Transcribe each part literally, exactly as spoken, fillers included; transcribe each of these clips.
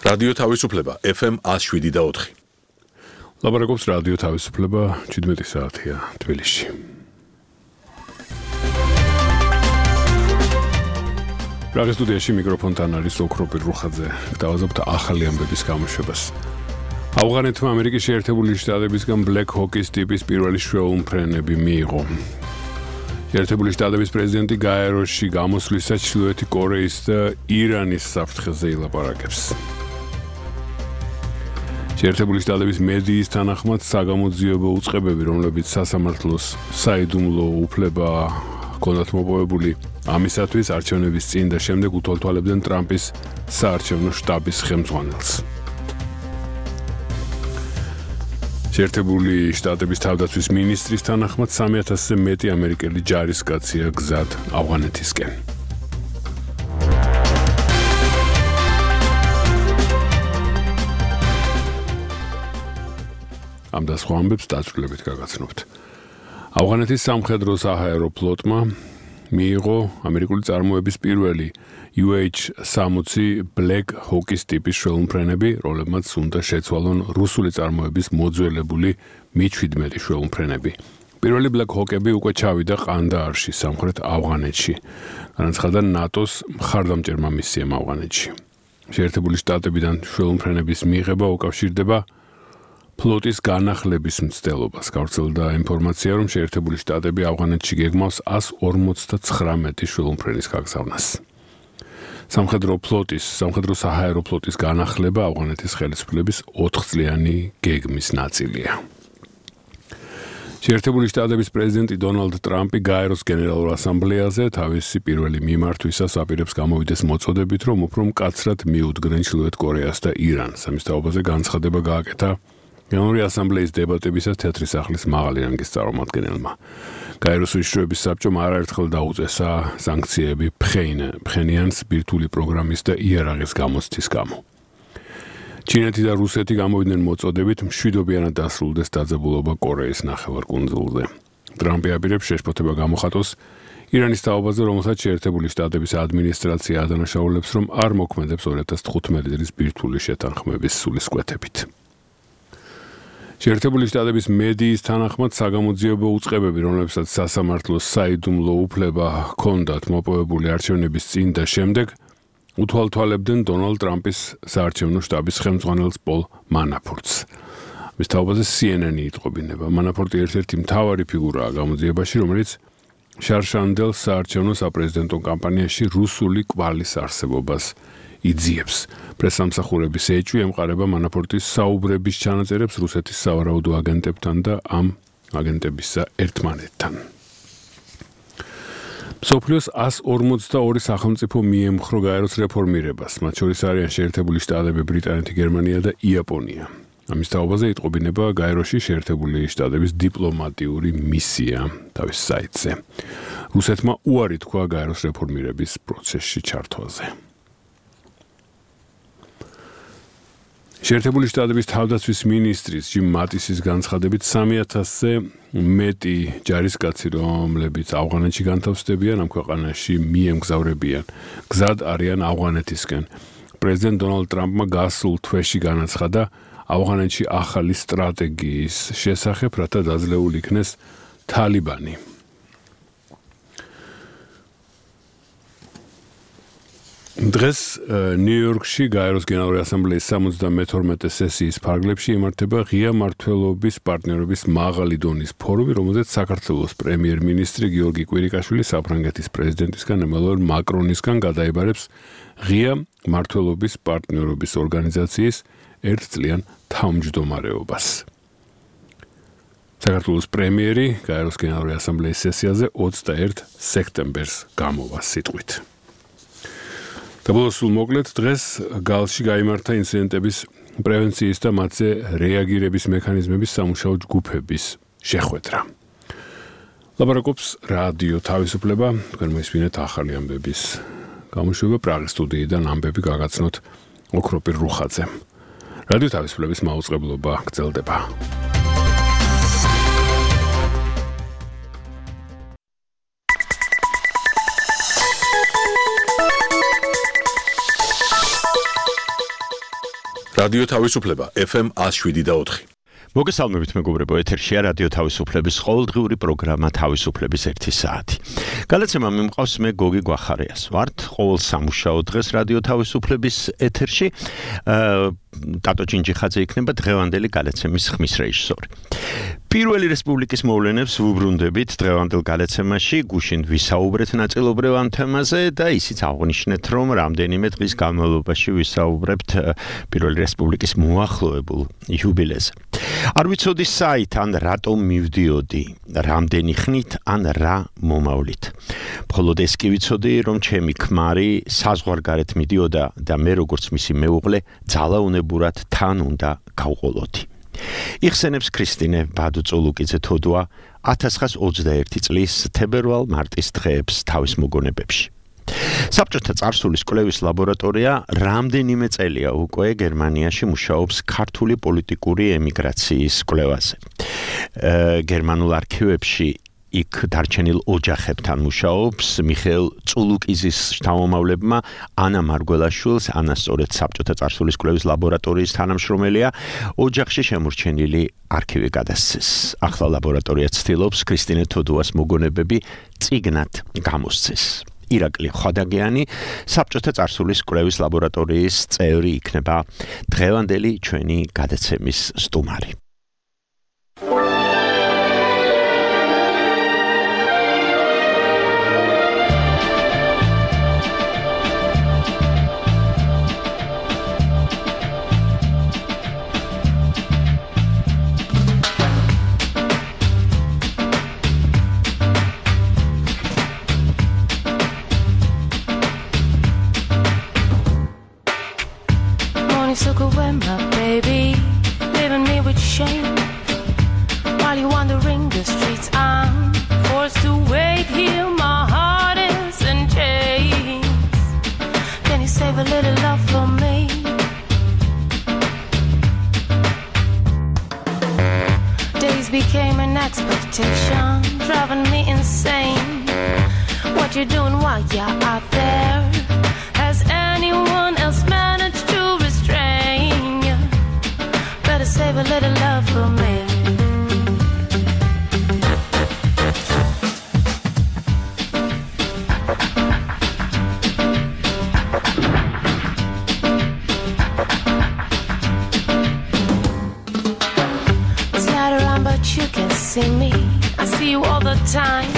რადიო თავისუფლება ეფ ემ one oh seven და four. ლაპარაკობს რადიო თავისუფლება seventeen საათია თბილისში. პრაღის სტუდიაში მიკროფონთან არის ოქროპირ რუხაძე. დავაზობთ ახალი ამბების გამოშვებას. ავღანეთმა ამერიკის შეერთებული შტატებისგან Black Hawk-ის ტიპის პირველი შვეულმფრენები მიიღო. შეერთებული შტატების პრეზიდენტი გაეროში გამოსვლისას ჩრდილოეთი კორეის და ირანის საფრთხეზე ილაპარაკებს. შეერთებული შტატების მედიის თანახმად საგამოძიებო უწყებები, რომლებიც სასამართლოს საიდუმლო უფლება ჰქონდათ მოპოვებული, ამისათვის არჩევნების წინ და შემდეგ უთვალთვალებდნენ ტრამპის საარჩევნო შტაბის ხელმძღვანელს. შეერთებული შტატების თავდაცვის მინისტრის თანახმად სამი ათასზე მეტი ამერიკელი ჯარისკაცია გზად ავღანეთისკენ. ამ და სხვა ამბებს დაწვრილებით გაგაცნობთ. ავღანეთის სამხედრო საჰაერო ფლოტმა მიიღო ამერიკული წარმოების პირველი U H sixty Black Hawk-ის ტიპის შვეულმფრენები, რომლებმაც უნდა შეცვალონ რუსული წარმოების მოძველებული მი seventeen შვეულმფრენები. პირველი Black Hawk-ები უკვე ჩავიდა ყანდაარში, სამხრეთ ავღანეთში. განაცხადა ნატოს მხარდამჭერმა მისიამ ავღანეთში. შეერთებული შტატებიდან შვეულმფრენების მიღება უკავშირდება ფლოტის განახლების მცდელობას. გავრცელდა ინფორმაცია, რომ შეერთებული შტატები ავღანეთში გეგმავს one forty-nine შვეულმფრენის გაგზავნას. სამხედრო ფლოტის, სამხედრო საჰაერო ფლოტის განახლება ავღანეთის ხელისუფლების ოთხ წლიანი გეგმის ნაწილია. შეერთებული შტატების პრეზიდენტი დონალდ ტრამპი გაეროს გენერალურ ასამბლეაზე თავისი პირველი მიმართვისას აპირებს გამოვიდეს მოწოდებით, რომ უფრო მკაცრად მიუდგნენ ჩრდილოეთ კორეას და ირანს. ამის თაობაზე განცხადება გააკეთა გენერალური ასამბლეის დებატებისას თეთრი სახლის მაღალი რანგის წარმომადგენელმა. გაეროს უშიშროების საბჭომ არაერთხელ დაუწესა სანქციები ფხენიანს ბირთვული პროგრამის და იარაღის გამოცდის გამო. ჩინეთი და რუსეთი გამოვიდნენ მოწოდებით მშვიდობიანად დასრულდეს დაძაბულობა კორეის ნახევარკუნძულზე. ტრამპი აპირებს შეშფოთება გამოხატოს ირანის თაობაზე, რომელსაც შეერთებული შტატების ადმინისტრაცია ადანაშაულებს, რომ არ მოქმედებს two thousand fifteen წლის ბირთვული შეთანხმების სულისკვეთებით. შეერთებული შტატების მედიის თანახმად საგამოძიებო უწყებები, რომლებსაც სასამართლოს საიდუმლო უფლება ჰქონდათ მოპოვებული არჩევნების წინ და შემდეგ, უთვალთვალებდნენ დონალდ ტრამპის საარჩევნო შტაბის ხელმძღვანელს პოლ მანაფორტს. მის თაობაზე C N N-ი იტყობინება. მანაფორტი ერთ-ერთი მთავარი ფიგურაა გამოძიებაში, რომელიც შარშანდელ საარჩევნო საპრეზიდენტო კამპანიაში რუსული კვალის არსებობას იძიებს. პრესამსახურების ეჭვი ემყარება მანაფორტის საუბრების ჩანაწერებს რუსეთის სავარაუდო აგენტებთან და ამ აგენტებისა ერთმანეთთან. მსოფლიოს one forty-two სახელმწიფო მიემხრო გაეროს რეფორმირებას, მათ შორის არიან შეერთებული შტატები, ბრიტანეთი, გერმანია და იაპონია. ამის თაობაზე იტყობინება გაეროში შეერთებული შტატების დიპლომატიური მისია თავის საიტზე. რუსეთმა უარი თქვა გაეროს რეფორმირების პროცესში ჩართვაზე. შეერთებული შტატების თავდაცვის მინისტრის ჯიმ მატისის განცხადებით სამი ათასზე მეტი ჯარისკაცი, რომლებიც ავღანეთში განთავსდებიან, ამ ქვეყანაში მიემგზავრებიან. გზად არიან ავღანეთისკენ. პრეზიდენტ დონალდ ტრამპმა გასულ თვეში განაცხადა ავღანეთში ახალი სტრატეგიის შესახებ, რათა დაძლეულ იქნეს თალიბანი. დღეს ნიუ-იორკში გაეროს გენერალური ასამბლეის seventy-two სესიის ფარგლებში იმართება ღია მმართველობის პარტნიორობის მაღალი დონის ფორუმი, რომელზეც საქართველოს პრემიერ-მინისტრი გიორგი კვირიკაშვილი საფრანგეთის პრეზიდენტისგან ემანუელ მაკრონისგან გადაიბარებს ღია მმართველობის პარტნიორობის ორგანიზაციის ერთწლიან თავმჯდომარეობას. საქართველოს პრემიერი გაეროს გენერალური ასამბლეის სესიაზე twenty-one სექტემბერს გამოვა სიტყვით. დაბოლოს სულ მოკლედ დღეს გალში გაიმართა ინციდენტების პრევენციის და მათზე რეაგირების მექანიზმების სამუშაო ჯგუფების შეხვედრა. ლაპარაკობს რადიო თავისუფლება, თქვენ მოისმინეთ ახალი ამბების გამოშვება პრაღის სტუდიიდან ამბები გაგაცნოთ ოქროპირ რუხაძემ. რადიო თავისუფლების მაუწყებლობა გრძელდება. რადიო თავისუფლება F M one oh seven point four. მოგესალმებით მეგობრებო, ეთერშია რადიო თავისუფლების ყოველდღიური პროგრამა თავისუფლების ერთი საათი. გადაცემა მიმყავს მე გოგი გვახარიას. ვართ ყოველ სამუშაო დღეს რადიო თავისუფლების ეთერში. ტატო ჭინჭიხაძე იქნება დღევანდელი გადაცემის ხმის რეჟისორი. პირველი რესპუბლიკის მოვლენებს ვუბრუნდებით დღევანდელ გადაცემაში, გუშინ ვისაუბრეთ ნაწილობრივ ამ თემაზე და ისიც აღნიშნეთ, რომ რამდენიმე დღის განმავლობაში ვისაუბრებთ პირველი რესპუბლიკის მოახლოებულ იუბილეზე. არ ვიცოდი საით ან რატომ მივდიოდი, რამდენი ხნით ან რა მომავლით. მხოლოდ ეს კი ვიცოდი, რომ ჩემი ქმარი საზღვარგარეთ მიდიოდა და მე როგორც მისი მეუღლე ძალაუნებურად თან უნდა გავყოლოდი. იხსენებს ქრისტინე ბადუწულუკიძე თოდუა ათას ცხრაას ოცდაერთი წლის თებერვალ-მარტის დღეებს თავის მოგონებებში. საბჭოთა წარსულის კვლევის ლაბორატორია რამდენიმე წელია უკვე გერმანიაში მუშაობს ქართული პოლიტიკური ემიგრაციის კვლევაზე. გერმანულ არქივებში იქ დარჩენილ ოჯახებთან მუშაობს მიხეილ წულუკიზის შთამომავლებმა ანა მარგველაშვილს, ანა სწორედ საბჭოთა წარსულის კვლევის ლაბორატორიის თანამშრომელია, ოჯახში შემორჩენილი არქივი გადასცეს. ახლა ლაბორატორია ცდილობს ქრისტინე თოდუას მოგონებები წიგნად გამოსცეს. ირაკლი ხვადაგიანი საბჭოთა წარსულის კვლევის ლაბორატორიის წევრი იქნება დღევანდელი ჩვენი გადაცემის სტუმარი. Took away my baby, leaving me with shame. While you wandering the streets, I'm forced to wait here. My heart is in chains. Can you save a little love for me? Days became an expectation, driving me insane. What you doing while you're out there? Has anyone else managed to save a little love for me? It's not around but you can see me. I see you all the time.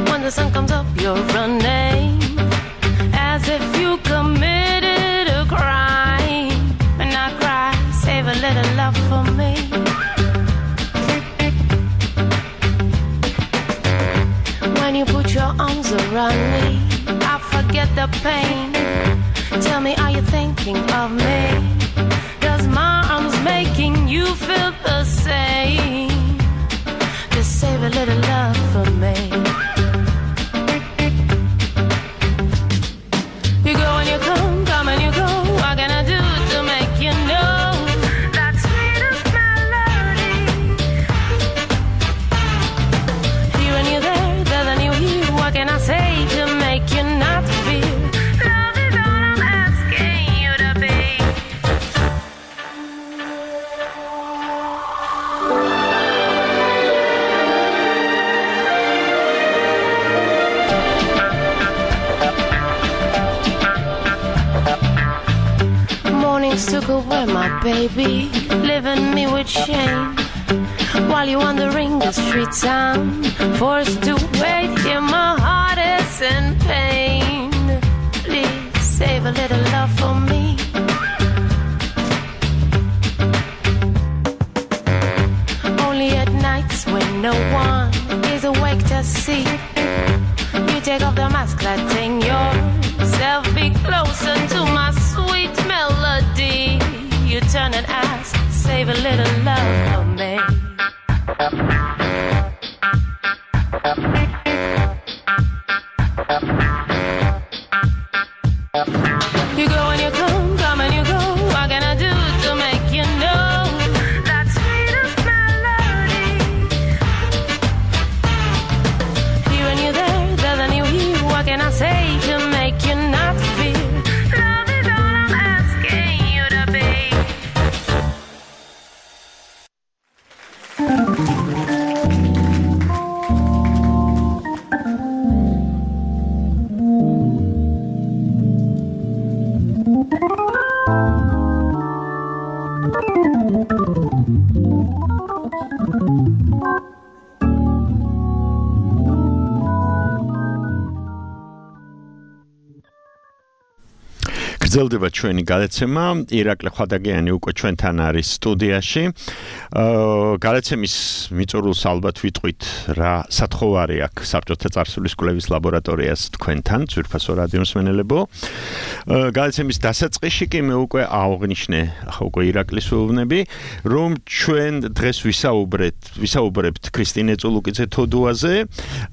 When the sun comes up you're running, as if you committed a crime. And I cry, save a little love for me. When you put your arms around me, I forget the pain. Tell me, are you thinking of me? Does my arms making you feel the same? Just save a little love for me. You go and you come, come and you go. What can I do to make you know? Can I say to make you not feel love is all I'm asking you to be? Mornings took away my baby, leaving me with shame. While you're wandering the streets, I'm forced to wait here. My heart is in pain. Please save a little love for me. Only at nights when no one is awake to see, you take off the mask, letting yourself be closer to my sweet melody. You turn and ask, save a little love for me. You go and you come, come and you go. What can I do to make you know that sweetest melody? Here and you there, there and you here. What can I say to make you not feel love is all I'm asking you to be? გრძელდება ჩვენი გადაცემა. ირაკლი ხვადაგიანი უკვე ჩვენთან არის სტუდიაში. გადაცემის მიწურულს ალბათ ვიტყვით რა სათხოვარი აქვს საბჭოთა წარსულის კვლევის ლაბორატორიას თქვენთან, ძვირფასო რადიო მსმენელებო. გადაცემის დასაწყისში კი მე უკვე აღვნიშნე, ახლა უკვე ირაკლის ვეუბნები, რომ ჩვენ დღეს ვისაუბრეთ, ვისაუბრებთ ქრისტინე წულუკიძე თოდუაზე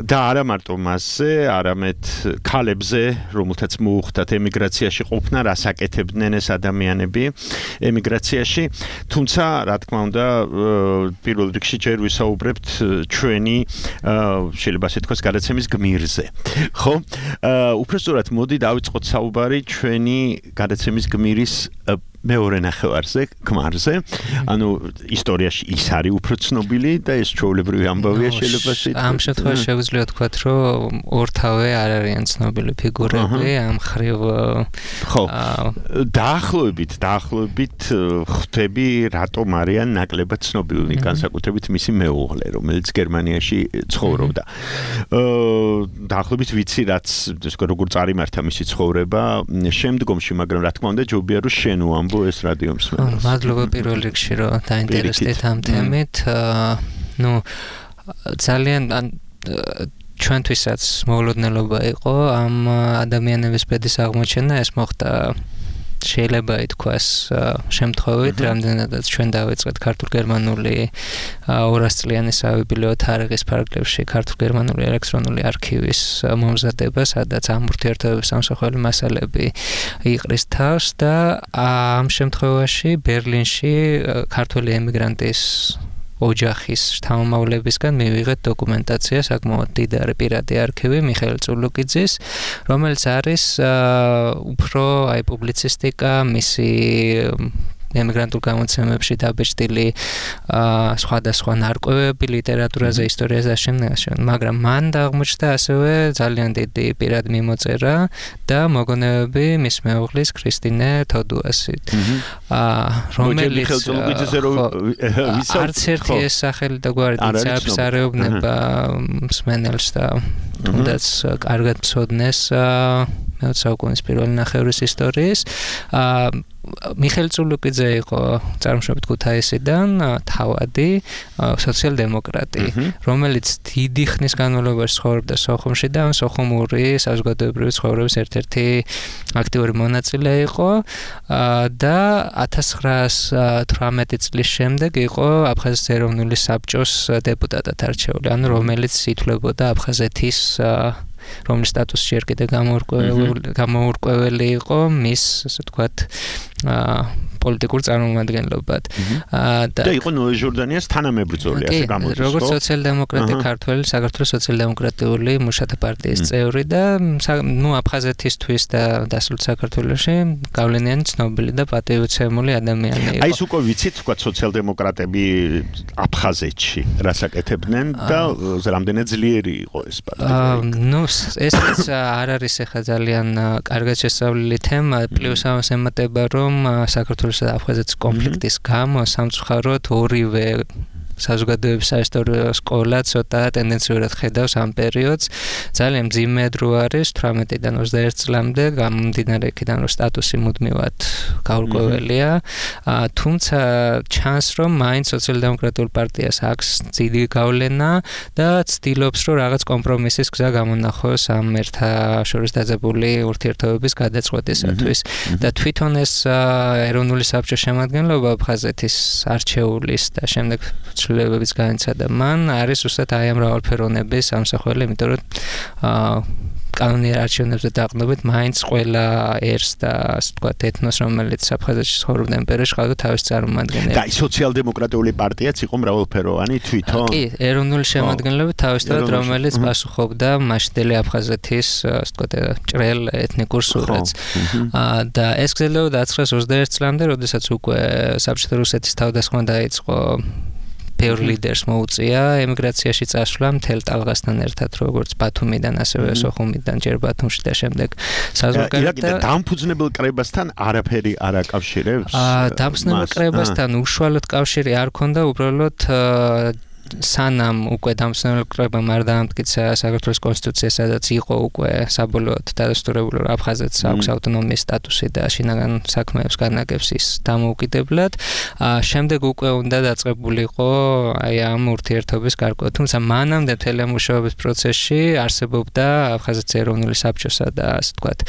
და არა მარტო მასზე, არამედ ქალებზე, რომელთაც მოუხდათ ემიგრაციაში ყოფნა, რას აკეთებდნენ ეს ადამიანები ემიგრაციაში. თუმცა, რა თქმა უნდა, პირველ რიგში ჯერ ვისაუბრებთ ჩვენი შეიძლება ასე თქვას გადაცემის გმირზე. ხო? უბრალოდ მოდი დავიწყოთ საუბარი ჩვენი გადაცემის გმირის მეორე ნახევარზე, ქმარზე. ანუ ისტორიაში ის არის უფრო ცნობილი და ეს ჩვეულებრივი ამბავია შეიძლება სიტყვით. ამ შემთხვევაში შეგვიძლია ვთქვათ, რომ ორთავე არ არიან ცნობილი ფიგურები, ამ ხრივ ხო. დაახლოებით, დაახლოებით ხვდები, რატომ არიან ნაკლებად ცნობილი, განსაკუთრებით მისი მეუღლე, რომელიც გერმანიაში ცხოვრობდა. დაახლოებით ვიცი, რაც როგორ წარიმართა მისი ცხოვრება შემდგომში, მაგრამ რა თქმა უნდა, ჯობია რომ შენ უამბო ეს რადიო მსმენელს. მადლობა პირველ რიგში რომ დაინტერესდით ამ თემით. ნუ ძალიან ჩვენთვისაც მოულოდნელობა იყო ამ ადამიანების ბედის აღმოჩენა, ეს მოხდა შეიძლება ითქვას შემთხვევით, რამდენადაც ჩვენ დავიწყეთ ქართულ-გერმანული ორასწლიანი საბიბლიო თარიღის ფარგლებში ქართულ-გერმანული ელექტრონული არქივის მომზადება, სადაც ამ ურთიერთობების ამსახველი მასალები იყრის თავს და ამ შემთხვევაში ბერლინში ქართველი ემიგრანტის ოჯახის შთამომავლებისგან მივიღეთ დოკუმენტაცია, საკმაოდ დიდარი პირადი არქივი მიხეილ წულუკიძის, რომელიც არის უფრო აი პუბლიცისტიკა, მისი ემიგრანტულ გამოცემებში დაბეჭდილი სხვადასხვა ნარკვევები ლიტერატურაზე, ისტორიაზე და შემდგომ, მაგრამ მან აღმოჩნდა ასევე ძალიან დიდი პირად მიმოწერა და მოგონებები მის მეუღლის ქრისტინე თოდუასით. რომელიც არც ერთი ეს სახელი და გვარი ძაბს არ ეუბნება მსმენელს და თუნდაც კარგად მცოდნეს მეოცე საუკუნის პირველი ნახევრის ისტორიის. მიხეილ წულუკიძე იყო წარმოშობით ქუთაისიდან, თავადი სოციალ-დემოკრატი, რომელიც დიდი ხნის განმავლობაში ცხოვრობდა სოხუმში და სოხუმური საზოგადოებრივი ცხოვრების ერთ-ერთი აქტიური მონაწილე იყო და ათას ცხრაას თვრამეტი წლის შემდეგ იყო აფხაზეთის ეროვნული საბჭოს დეპუტატად არჩეული, ანუ რომელიც ითვლებოდა აფხაზეთის რომლის სტატუსი ჯერ კიდევ გამოურკვეველი იყო მის, ასე ვთქვათ, პოლიტიკურ წარმომადგენლობად. და იყო ნოე ჟორდანიას თანამებრძოლი, ასე გამოდის, ხო? როგორც სოციალ-დემოკრატი ქართველი, საქართველოს სოციალ-დემოკრატიული მუშათა პარტიის წევრი და ნუ აფხაზეთისთვის და დასავლეთ საქართველოში გავლენიანი ცნობილი და პატივოცემული ადამიანი იყო. აი ეს უკვე ვიცით, თქვა სოციალ-დემოკრატები აფხაზეთში რას აკეთებდნენ და რამდენად ძლიერი იყო ეს პარტია. ნუ ეს არ არის ახლა ძალიან კარგად შესწავლილი თემა, პლუს ამას ემატება, რომ საქართველოს და აფხაზეთის კონფლიქტის გამო სამწუხაროდ ორივე საზოგადოების საისტორიო სკოლა ცოტა ტენდენციურად ხედავს ამ პერიოდს. ძალიან მძიმე დრო არის თვრამეტიდან ოცდაერთ წლამდე, გამომდინარე იქიდან რომ სტატუსი მუდმივად გაურკვეველია. თუმცა ჩანს რომ მაინც სოციალ-დემოკრატიულ პარტიას აქვს დიდი გავლენა და ცდილობს რომ რაღაც კომპრომისის გზა გამონახოს ამ ერთაშორის დაძაბული ურთიერთობების გადაწყვეტისათვის. და თვითონ ეს ეროვნული საბჭოს შემადგენლობა აფხაზეთის არჩეულის და შემდეგ ცვლილებების განიცადა მან არის უბრალოდ აი ამ მრავალფეროვნების ამსახველი, იმიტომ რომ კანონიერ არჩევნებზე დაყრდნობით მაინც ყველა ერს და ასე ვთქვათ ეთნოს, რომელიც აფხაზეთში ცხოვრობდა იმ პერიოდში, ყავდა თავის წარმომადგენელი. და სოციალ-დემოკრატიული პარტიაც იყო მრავალფეროვანი თვითონ. კი, ეროვნული შემადგენლობა თავისთავად, რომელიც პასუხობდა მაშინდელი აფხაზეთის, ასე ვთქვათ, ჭრელ ეთნიკურ სურათს. და ეს გრძელდებოდა ათას ცხრაას ოცდაერთ წლამდე, როდესაც უკვე საბჭოთა რუსეთის თავდასხმა დაიწყო ბევრ ლიდერს მოუწია ემიგრაციაში წასვლა მთელ ტალღასთან ერთად, როგორც ბათუმიდან, ასევე სოხუმიდან, ჯერ ბათუმში და შემდეგ საზღვარგარეთ. და დამფუძნებელ კრებასთან არაფერი არ აკავშირებს? დამფუძნებელ კრებასთან უშუალოდ კავშირი არ ქონდა, უბრალოდ სანამ უკვე დამსწრებამ არ დაამტკიცა საქართველოს კონსტიტუცია, სადაც იყო უკვე საბოლოოდ დადასტურებული, რომ აფხაზეთს აქვს ავტონომიის სტატუსი და შინაგან საქმეებს განაგებს ის დამოუკიდებლად. შემდეგ უკვე უნდა დაწყებულიყო აი ამ ურთიერთობის გარკვევა, თუმცა მანამდე მთელი ამ მუშაობის პროცესში არსებობდა აფხაზეთის ეროვნული საბჭოსა და ასე ვთქვათ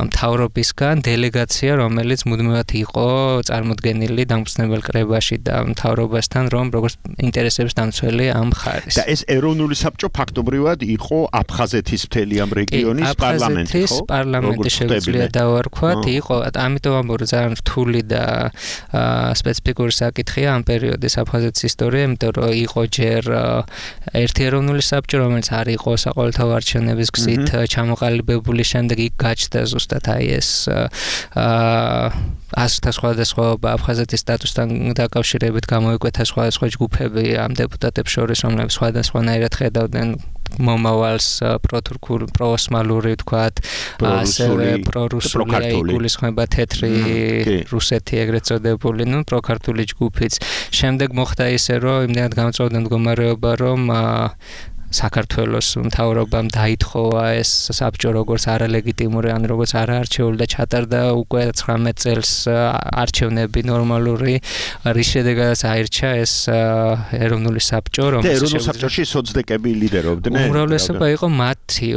მთავრობისგან დელეგაცია, რომელიც მუდმივად იყო წარმოდგენილი დამფუძნებელ კრებაში და მთავრობასთან, რომ როგორც ინტერესების დამცველი ამ ხარის. და ეს ეროვნული საბჭო ფაქტობრივად იყო აფხაზეთის მთელი ამ რეგიონის პარლამენტი, ხო? აფხაზეთის პარლამენტი შეუძლია დავარქვათ, იყო, ამიტომ ამბობ, ძალიან რთული და სპეციფიკური საკითხია ამ პერიოდის აფხაზეთის ისტორია, იმიტომ რომ იყო ჯერ ერთი ეროვნული საბჭო, რომელიც არ იყო საყოველთაო არჩევნების გზით ჩამოყალიბებული, შემდეგ იქ გაჩნდა ზუსტად აი ეს აზრთა სხვადასხვაობა აფხაზეთის სტატუსთან დაკავშირებით გამოიკვეთა სხვადასხვა ჯგუფები ამ დეპუტატებს შორის, რომლებიც სხვადასხვანაირად ხედავდნენ მომავალს პროთურქულ პროოსმალური ვთქვათ, ასევე პრორუსული იგულისხმება თეთრი რუსეთი ეგრეთ წოდებული, ნუ პროქართული ჯგუფიც. შემდეგ მოხდა ისე, რომ იმდენად გამწვავდა მდგომარეობა, რომ საქართველოს მთავრობამ დაითხოვა ეს საბჭო როგორც არალეგიტიმური, ან როგორც არაარჩეული და ჩატარდა უკვე ცხრამეტ წელს არჩევნები ნორმალური, რის შედეგადაც აირჩა ეს ეროვნული საბჭო, რომელიც ეროვნულ საბჭოში სოცდეკები ლიდერობდნენ. უმრავლესობა იყო მათი,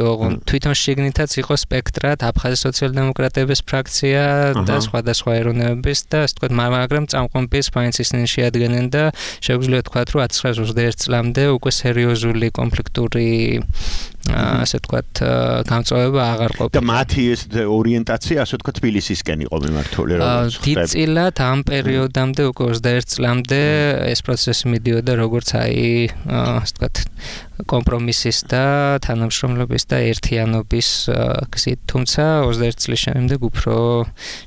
თვითონ შიგნითაც იყო სპექტრად აფხაზის სოციალ-დემოკრატების ფრაქცია და სხვადასხვა ეროვნებების და ასე ვთქვათ, მაგრამ წამყვანბის მაინც ისინი შეადგენენ და შეგვიძლია ვთქვათ, რომ ათას ცხრაას ოცდაერთი წლამდე უკვე სერიოზული კონფლიქტი ასე ვთქვათ გამწვავება აღარ ყოფილა. და მათი ეს ორიენტაცია ასე ვთქვათ თბილისისკენ იყო მიმართული, როგორც ხდება. დიდწილად ამ პერიოდამდე უკვე ოცდაერთი წლამდე ეს პროცესი მიდიოდა როგორც აი ასე ვთქვათ კომპრომისის და თანამშრომლობის და ერთიანობის გზით. თუმცა ოცდაერთი წლის შემდეგ უფრო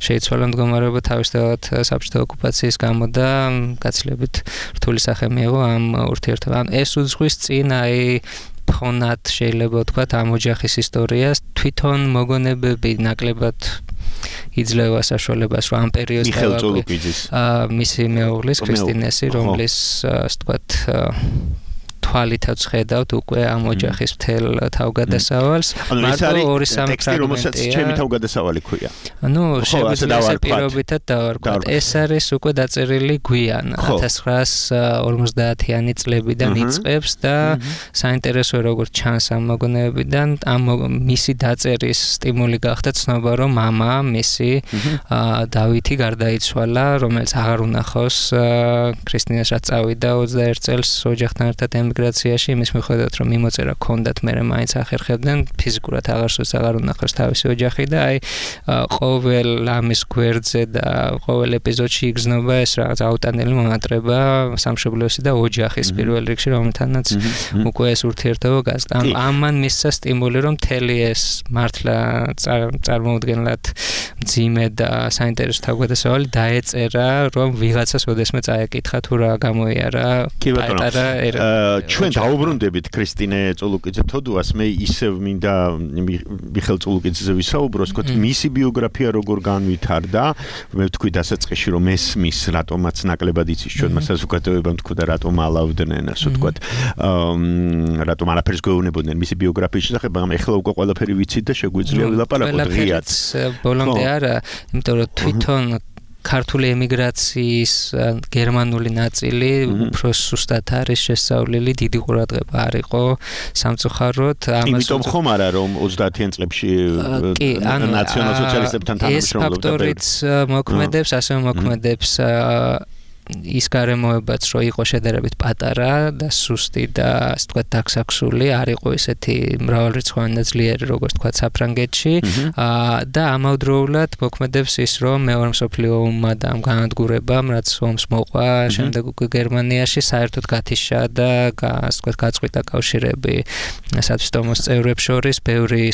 შეიცვალა მდგომარეობა თავისთავად საბჭოთა ოკუპაციის გამო და გაცილებით რთული სახე მიიღო ამ ურთიერთობამ. ეს უძღვის წინ აი ფონად შეიძლება ვთქვათ ამ ოჯახის ისტორიას, თვითონ მოგონებები ნაკლებად იძლევა საშუალებას, რომ ამ პერიოდს მისი მეუღლის ქრისტინესი, რომლის ასე ვთქვათ თვალითაც ხედავთ უკვე ამ ოჯახის მთელ თავგადასავალს. მარტო ორი სამი ტექსტი, რომელსაც ჩემი თავგადასავალი ქვია. ანუ შეგვიძლია ესე პირობითად დავარქვათ. ეს არის უკვე დაწერილი გვიან ათას ცხრაას ორმოცდაათიანი წლებიდან იწყებს და საინტერესოა როგორც ჩანს ამ მოგონებებიდან, ამ მისი დაწერის სტიმული გახდა ცნობა, რომ მამა მისი დავითი გარდაიცვალა, რომელიც აღარ უნახავს ქრისტინას, რაც წავიდა ოცდაერთ წელს ოჯახთან ერთად ემიგრაციაში, იმის მიხედვით, რომ მიმოწერა ჰქონდათ, მერე მაინც ახერხებდნენ, ფიზიკურად აღარსოს აღარ უნახავს თავისი ოჯახი და აი ყოველ ამის გვერდზე და ყოველ ეპიზოდში იგრძნობა ეს რაღაც აუტანელი მონატრება სამშობლოსი და ოჯახის პირველ რიგში, რომელთანაც უკვე ეს ურთიერთობა გასწა. ამან მისცა სტიმული, რომ მთელი ეს მართლა წარმოუდგენლად მძიმე და საინტერესო თავგადასავალი დაეწერა, რომ ვიღაცას ოდესმე წაეკითხა თუ რა გამოიარა პატარა ჩვენ დაუბრუნდებით ქრისტინე წულუკიძე თოდუას, მე ისევ მინდა მიხელ წულუკიძეზე ვისაუბრო, თქო, მისი ბიოგრაფია როგორ განვითარდა, მე ვთქვი დასაწყისში, რომ ესმის რატომაც ნაკლებად იცის ჩვენმა საზოგადოებამ, თქო და რატომ ალავდნენ, ასე ვთქვათ, რატომ არაფერს გვეუბნებოდნენ მისი ბიოგრაფიის შესახებ, მაგრამ ეხლა უკვე ყველაფერი ვიცით და შეგვიძლია ვილაპარაკოთ ღიად. ბოლომდე არა, იმიტომ რომ თვითონ ქართული ემიგრაციის გერმანული ნაწილი უფრო სუსტად არის შესწავლილი, დიდი ყურადღება არ იყო სამწუხაროდ. იმიტომ ხომ არა რომ ოცდაათიან წლებში ნაციონალ-სოციალისტებთან თანამშრომლობდა. ეს ფაქტორიც მოქმედებს, ასევე მოქმედებს ის გარემოებაც, რომ იყო შედარებით პატარა და სუსტი და ასე ვთქვათ დაქსაქსული, არ იყო ისეთი მრავალრიცხოვანი და ძლიერი, როგორც ვთქვათ საფრანგეთში და ამავდროულად მოქმედებს ის, რომ მეორე მსოფლიო ომმა და ამ განადგურებამ, რაც ომს მოყვა, შემდეგ უკვე გერმანიაში საერთოდ გათიშა და ასე ვთქვათ გაწყვიტა კავშირები სათვისტომოს წევრებს შორის, ბევრი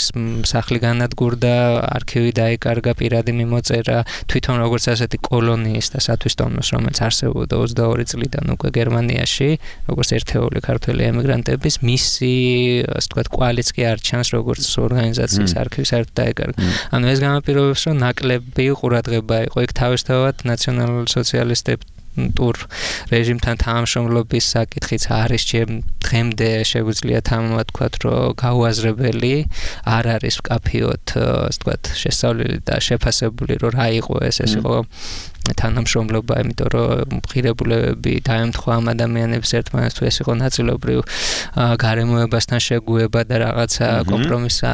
სახლი განადგურდა, არქივი დაიკარგა, პირადი მიმოწერა, თვითონ როგორც ასეთი კოლონიის და სათვისტომოს, რომელიც არსებობდა ოცდაორი წლიდან უკვე გერმანიაში, როგორც ერთეული ქართველი ემიგრანტების, მისი, ასე ვთქვათ, კვალიც კი არ ჩანს, როგორც ორგანიზაციის არქივი საერთოდ დაიკარგა. ანუ ეს განაპირობებს, რომ ნაკლები ყურადღება იყო იქ თავისთავად ნაციონალ-სოციალისტებთან ტურ რეჟიმთან თანამშრომლობის საკითხიც არის დღემდე შეგვიძლია თამამად ვთქვათ, რომ გაუაზრებელი არ არის მკაფიოდ, ასე ვთქვათ, შესწავლილი და შეფასებული, რომ რა იყო ეს, ეს იყო თანამშრომლობა, იმიტომ რომ ღირებულებები დაემთხვა ამ ადამიანებს ერთმანეთს, თუ ეს იყო ნაწილობრივ გარემოებასთან შეგუება და რაღაცა კომპრომისა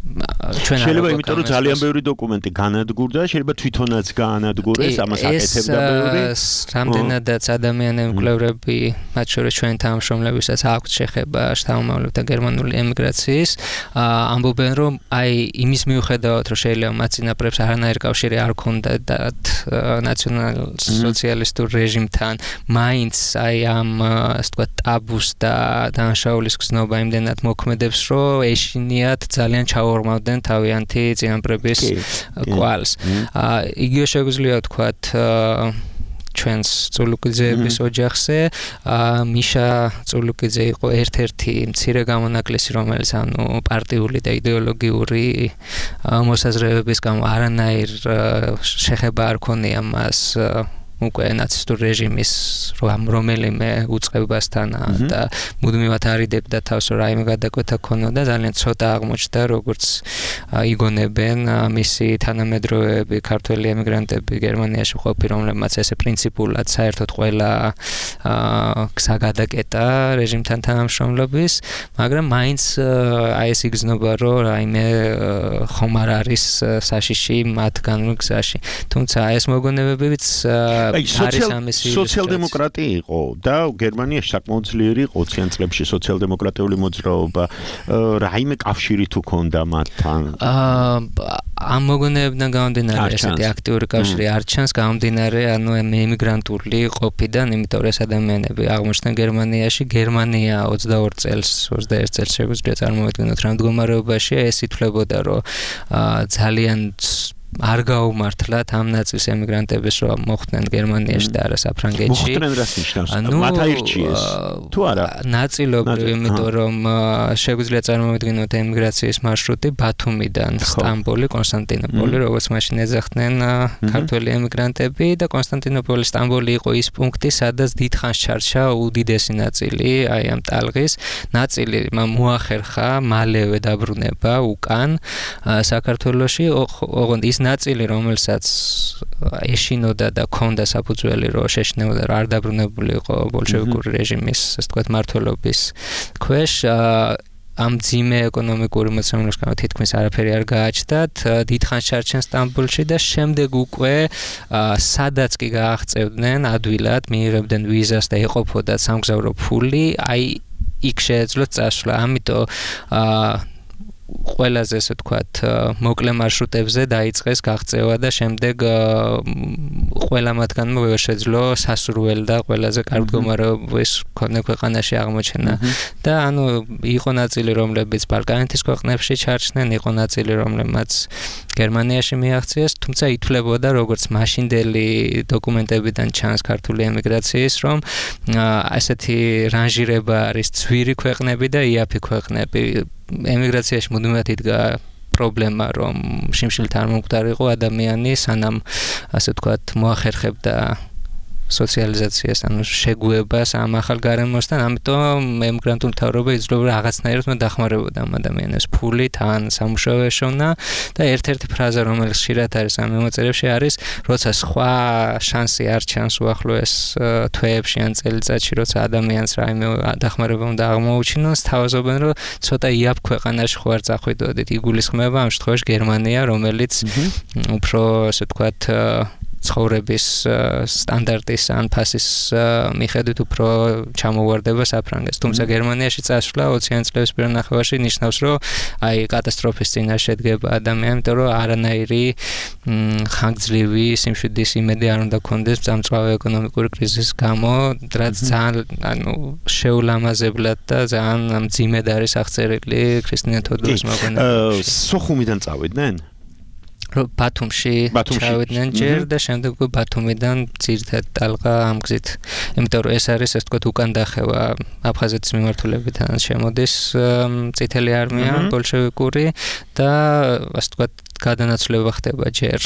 ჩვენ შეიძლება იმიტომ რომ ძალიან ბევრი დოკუმენტი განადგურდა, შეიძლება თვითონაც გაანადგურეს, ამას აკეთებდა ბევრი. ეს რამდენადაც ადამიანები მკვლევრები, მათ შორის ჩვენ თანამშრომლებისაც აქვთ შეხება შთამომავლებთან გერმანული ემიგრაციის, ამბობენ რომ აი იმის მიუხედავად რომ შეიძლება მათ წინაპრებს არანაირი კავშირი არ ჰქონდათ ნაციონალ-სოციალისტურ რეჟიმთან, მაინც აი ამ ასე ვთქვათ ტაბუს და დანაშაულის გზნობა იმდენად მოქმედებს, რომ ეშინიათ ძალიან ჩაო მავდნენ თავიანთი წინაპრების კვალს. იგივე შეგვიძლია ვთქვათ ჩვენს წულუკიძეების ოჯახზე, მიშა წულუკიძე იყო ერთ-ერთი მცირე გამონაკლისი, რომელიც ანუ პარტიული და იდეოლოგიური მოსაზრებების გამო არანაირ შეხება არ ქონია მას უკვე ნაცისტურ რეჟიმის რომელიმე უწყებასთან და მუდმივად არიდებდა თავს, რომ რაიმე გადაკვეთა ქონოდა, ძალიან ცოტა აღმოჩნდა, როგორც იგონებენ მისი თანამედროვეები, ქართველი ემიგრანტები გერმანიაში ყოფი, რომლებმაც ესე პრინციპულად საერთოდ ყველა გზა გადაკეტა რეჟიმთან თანამშრომლობის, მაგრამ მაინც აი ეს იგრძნობა, რომ რაიმე ხომ არ არის საშიში მათგანვე გზაში. თუმცა ეს მოგონებებიც სოციალ-დემოკრატი იყო და გერმანიაში საკმაოდ ძლიერი იყო ოციან წლებში სოციალ-დემოკრატიული მოძრაობა. რაიმე კავშირი თუ ქონდა მათთან? ამ მოგონებებიდან გამომდინარე ესეთი აქტიური კავშირი არ ჩანს, გამომდინარე ანუ ემიგრანტული ყოფიდან, იმიტომ რომ ეს ადამიანები აღმოჩნდნენ გერმანიაში. გერმანია ოცდაორ წელს, ოცდაერთ წელს შეგვიძლია წარმოვიდგინოთ რა მდგომარეობაშია, ეს ითვლებოდა, რომ ძალიან არ გაუმართლათ ამ ნაწილს ემიგრანტებს, რომ მოხვდნენ გერმანიაში და არა საფრანგეთში. მოხვდნენ რას ნიშნავს? მათ აირჩიეს თუ არა? ნაწილობრივ, იმიტომ რომ შეგვიძლია წარმოვიდგინოთ ემიგრაციის მარშრუტი ბათუმიდან სტამბოლი, კონსტანტინოპოლი, როგორც მაშინ ეძახდნენ ქართველი ემიგრანტები და კონსტანტინოპოლი, სტამბოლი იყო ის პუნქტი, სადაც დიდხანს ჩარჩა უდიდესი ნაწილი აი ამ ტალღის. ნაწილი მოახერხა მალევე დაბრუნება უკან საქართველოში, ოღონდ ის ნაწილი, რომელსაც ეშინოდა და ქონდა საფუძველი, რომ შეშნეოდა, რომ არ დაბრუნებული იყო ბოლშევიკური რეჟიმის, ასე ვთქვათ, მმართველობის ქვეშ, ამ ძიმე ეკონომიკური მოწმობის გამო თითქმის არაფერი არ გააჩნდათ, დიდხანს ჩარჩენ სტამბოლში და შემდეგ უკვე სადაც კი გააღწევდნენ ადვილად, მიიღებდნენ ვიზას და ეყოფოდათ სამგზავრო ფული, აი იქ შეეძლოთ წასვლა. ამიტომ ყველაზე ასე ვთქვათ მოკლე მარშრუტებზე დაიწყეს გაღწევა და შემდეგ ყველა მათგანმა ვერ შეძლო სასურველი და ყველაზე კარგ მდგომარეობის მქონე ქვეყანაში აღმოჩენა და ანუ იყო ნაწილი, რომლებიც ბალკანეთის ქვეყნებში ჩარჩნენ, იყო ნაწილი, რომლებმაც გერმანიაში მიაღწიეს, თუმცა ითვლებოდა, როგორც მაშინდელი დოკუმენტებიდან ჩანს ქართული ემიგრაციის, რომ ასეთი რანჟირება არის ძვირი ქვეყნები და იაფი ქვეყნები. ემიგრაციაში მუდმივად იდგა პრობლემა, რომ შიმშილით არ მომკვდარიყო ადამიანი, სანამ ასე ვთქვათ მოახერხებდა სოციალიზაციას, ანუ შეგუებას ამ ახალ გარემოსთან, ამიტომ ემიგრანტული მთავრობა იძლეოდა რაღაცნაირად დახმარებოდა ამ ადამიანებს ფულით, ან სამუშაო ეშოვნა და ერთ-ერთი ფრაზა, რომელიც ხშირად არის ამ მიმოწერებში, არის, როცა სხვა შანსი არ ჩანს უახლოეს თვეებში ან წელიწადში, როცა ადამიანს რაიმე დახმარება უნდა აღმოუჩინოს, თავაზობენ, რომ ცოტა იაფ ქვეყანაში ხო არ წახვიდოდით. იგულისხმება ამ შემთხვევაში გერმანია, რომელიც უფრო ასე ვთქვათ ცხოვრების სტანდარტის ან ფასის მიხედვით უფრო ჩამოვარდება საფრანგეთს. თუმცა გერმანიაში წასვლა ოციან წლების პირველ ნახევარში ნიშნავს, რომ აი კატასტროფის წინაშე დგება ადამიანი, იმიტომ რომ არანაირი ხანგრძლივი სიმშვიდის იმედი არ უნდა ქონდეს წამწვავი ეკონომიკური კრიზისის გამო, რაც ძალიან ანუ შეულამაზებლად და ძალიან მძიმედ არის აღწერილი ქრისტიანა თოდორის მოგონებაში. სოხუმიდან წავიდნენ? ბათუმში ჩავიდნენ ჯერ და შემდეგ უკვე ბათუმიდან ძირითადად ტალღა ამ გზით. იმიტომ რომ ეს არის, ასე ვთქვათ, უკან დახევა აფხაზეთის მიმართულებიდან შემოდის წითელი არმია ბოლშევიკური და ასე ვთქვათ გადანაცვლება ხდება ჯერ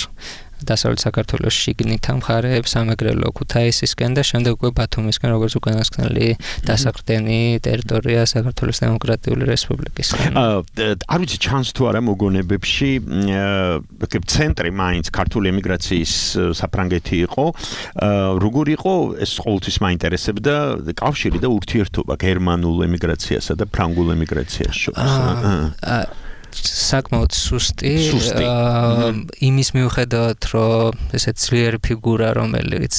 დასავლეთ საქართველოს შიგნით ამ მხარეებს სამეგრელო ქუთაისისკენ და შემდეგ უკვე ბათუმისკენ როგორც უკანასკნელი დასაყრდენი ტერიტორია საქართველოს დემოკრატიული რესპუბლიკისგან. არ ვიცი ჩანს თუ არა მოგონებებში ცენტრი მაინც ქართული ემიგრაციის საფრანგეთი იყო როგორ იყო ეს ყოველთვის მაინტერესებდა კავშირი და ურთიერთობა გერმანულ ემიგრაციასა და ფრანგულ ემიგრაციას შორის. საკმაოდ სუსტი იმის მიუხედავად რომ ესეთ ძლიერი ფიგურა რომელიც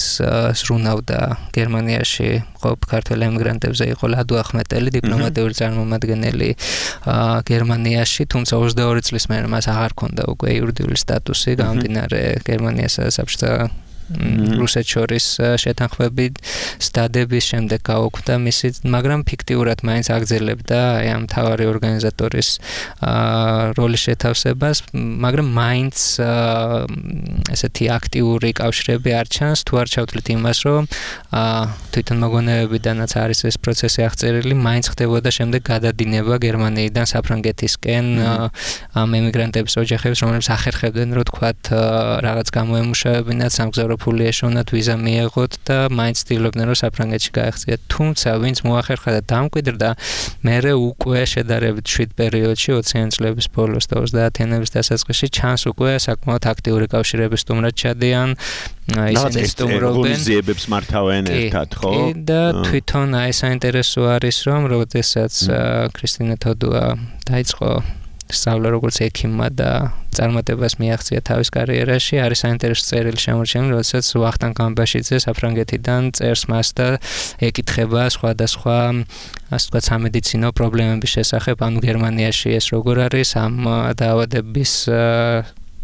ზრუნავდა გერმანიაში ყოფ ქართველ ემიგრანტებზე იყო ლადო ახმეტელი დიპლომატიური წარმომადგენელი გერმანიაში თუმცა ოცდაორი წლის მერე მას აღარ ჰქონდა უკვე იურიდიული სტატუსი გამომდინარე გერმანიასა და საბჭოთა რუსეთს შორის შეთანხმები სტადების შემდეგ გაუქმდა მისი მაგრამ ფიქტიურად მაინც აგრძელებდა აი ამ მთავარი ორგანიზატორის როლის შეთავსებას მაგრამ მაინც ესეთი აქტიური კავშირები არ ჩანს თუ არ ჩავთვლით იმას რომ თვითონ მოგონებებიდანაც არის ეს პროცესი აღწერილი მაინც ხდებოდა შემდეგ გადადინება გერმანიიდან საფრანგეთისკენ ამ ემიგრანტების ოჯახებს რომლებიც ახერხებდნენ რომ თქვათ რაღაც გამოემუშავებინათ სამგზავრო ფული ეშოვნათ ვიზა მიეღოთ და მაინც ცდილობდნენ რომ საფრანგეთში გაეხციათ თუმცა ვინც მოახერხა და დამკვიდრდა მერე უკვე შედარებით შვიდ პერიოდში ოციანი წლების ბოლოს და ოცდაათიანების დასაწყისში ჩანს უკვე საკმაოდ აქტიური კავშირების სტუმრად ჩადიან ისინი სტუმრობენ ორგანიზაციებს მართავენ ერთად ხო და თვითონ აი საინტერესო არის რომ როდესაც ქრისტინე თოდუა დაიწყო სწავლა როგორც ექიმმა და წარმატებას მიაღწია თავის კარიერაში არის საინტერესო წერილი შემორჩენილი როდესაც ვახტანგ გამბაშიძე საფრანგეთიდან წერს მას და ეკითხება სხვადასხვა ასე ვთქვათ სამედიცინო პრობლემების შესახებ ანუ გერმანიაში ეს როგორ არის ამ დაავადების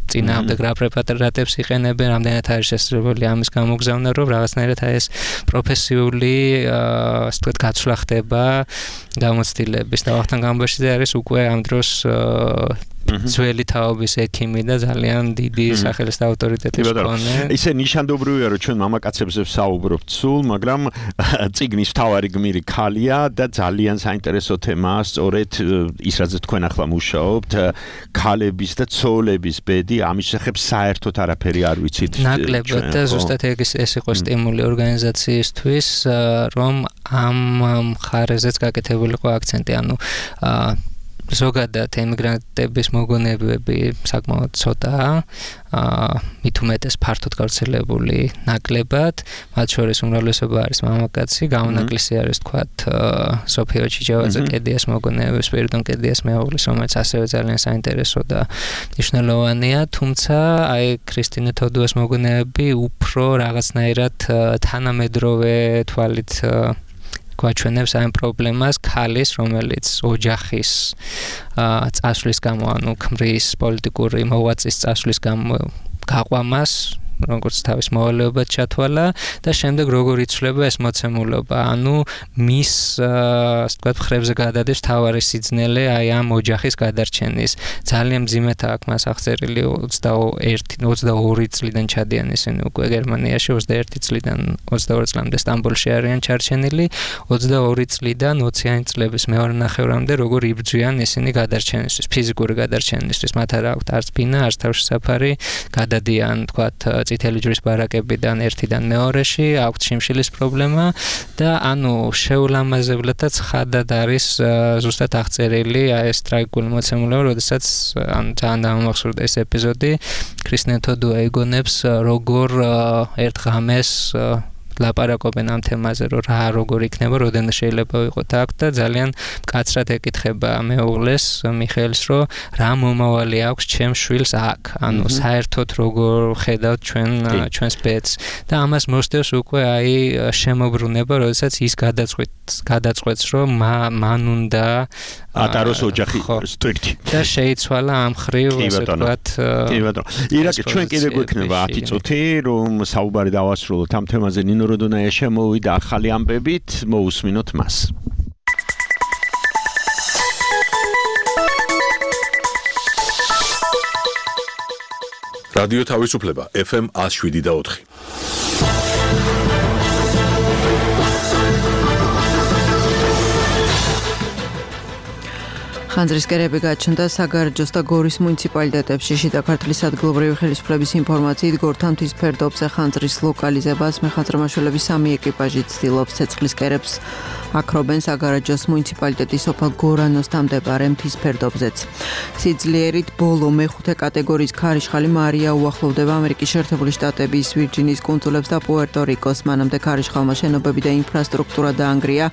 წინააღმდეგ რა პრეპარატებს იყენებენ, რამდენად არის შესაძლებელი ამის გამოგზავნა, რომ რაღაცნაირად ეს პროფესიული ასე ვთქვათ გაცვლა ხდება გამოცდილების და ვახტანგ გამბაშიძე არის უკვე ამ დროს ძველი თაობის ექიმი და ძალიან დიდი სახელის და ავტორიტეტის მქონე. ისე ნიშანდობრივია რომ ჩვენ მამაკაცებზე ვსაუბრობთ სულ, მაგრამ წიგნის მთავარი გმირი ქალია და ძალიან საინტერესო თემაა სწორედ ის რაც თქვენ ახლა მუშაობთ, ქალების და ცოლების ბედი, ამის შესახებ საერთოდ არაფერი არ ვიცით. ნაკლებად და ზუსტად ეს იყო სტიმული ორგანიზაციისთვის, რომ ამ მხარეზეც გაკეთებულიყო აქცენტი, ანუ ზოგადად ემიგრანტების მოგონებები საკმაოდ ცოტაა, მით უმეტეს ფართოდ გავრცელებული ნაკლებად, მათ შორის უმრავლესობა არის მამაკაცი, გამონაკლისი არის თქვათ სოფიო ჩიჩევაძე კედიას მოგონებები, სპირიდონ კედიას მეუღლის, რომელიც ასევე ძალიან საინტერესო და მნიშვნელოვანია, თუმცა აი ქრისტინე თოდუას მოგონებები უფრო რაღაცნაირად თანამედროვე თვალით გვაჩვენებს ამ პრობლემას ქალის, რომელიც ოჯახის წასვლის გამო, ანუ ქმრის პოლიტიკური მოღვაწის წასვლის გამო გაყვამას, როგორც თავის მოვალეობად ჩათვალა და შემდეგ როგორ იცვლება ეს მოცემულობა, ანუ მის, ასე ვთქვათ, ხრებზე გადადის მთავარი სიძნელე აი ამ ოჯახის გადარჩენის. ძალიან მძიმედ აქვს მას აღწერილი ოცდაერთი ოცდაორი წლიდან ჩადიან ისინი უკვე გერმანიაში, ოცდაერთი წლიდან ოცდაორი წლამდე სტამბოლში არიან ჩარჩენილი, ოცდაორი წლიდან ოციანი წლების მეორე ნახევრამდე როგორ იბრძვიან ისინი გადარჩენისთვის, ფიზიკური გადარჩენისთვის, მათ არ აქვთ არც ბინა, არც თავშესაფარი, გადადიან, თქვათ, წითელი ჯვრის ბარაკებიდან ერთიდან მეორეში, აქვთ შიმშილის პრობლემა და ანუ შეულამაზებლადაც ხადად არის ზუსტად აღწერილი აი ეს ტრაგიკული მოცემულობა, როდესაც ანუ ძალიან დამამახსოვრდა ეს ეპიზოდი, ქრისტინე თოდუა იგონებს როგორ ერთ ღამეს ლაპარაკობენ ამ თემაზე, რომ რა როგორ იქნება, რამდენი შეიძლება ვიყოთ აქ და ძალიან მკაცრად ეკითხება მეუღლეს მიხეილს, რომ რა მომავალი აქვს ჩემს შვილს აქ, ანუ საერთოდ როგორ ხედავთ ჩვენ ჩვენს ბედს და ამას მოსდევს უკვე აი შემოbrunება, როდესაც ის გადაწყვეტს გადაწყვეტს, რომ მან უნდა ატაროს ოჯახი სტრიქტი და შეიცვალა ამ ხრივ, ასე ვთქვათ. კი ბატონო. ირაკი ჩვენ კიდე გვექნება ათი წუთი, რომ საუბარი დავასრულოთ ამ თემაზე. ნინო როდონაია შემოვიდა ახალი ამბებით, მოусმინოთ მას. რადიო თავისუფლება ეფ ემ one oh seven და four. ხანძრისკერები გაჩნდა საგარეჯოს და გორის მუნიციპალიტეტებში. შიდა ქართლის ადგილობრივი ხელისუფლების ინფორმაციით გორთან მთის ფერდობზე ხანძრის ლოკალიზებას მეხანძრომაშველების სამი ეკიპაჟი ცდილობს. ცეცხლისკერებს აქრობენ საგარეჯოს მუნიციპალიტეტის სოფელ გორანოსთან მდებარე მთის ფერდობზეც. სიძლიერით ბოლო მეხუთე კატეგორიის ქარიშხალი მარია უახლოვდება ამერიკის შეერთებული შტატების ვირჯინიის კუნძულებს და პუერტო-რიკოს. მანამდე ქარიშხალმა შენობები და ინფრასტრუქტურა დაანგრია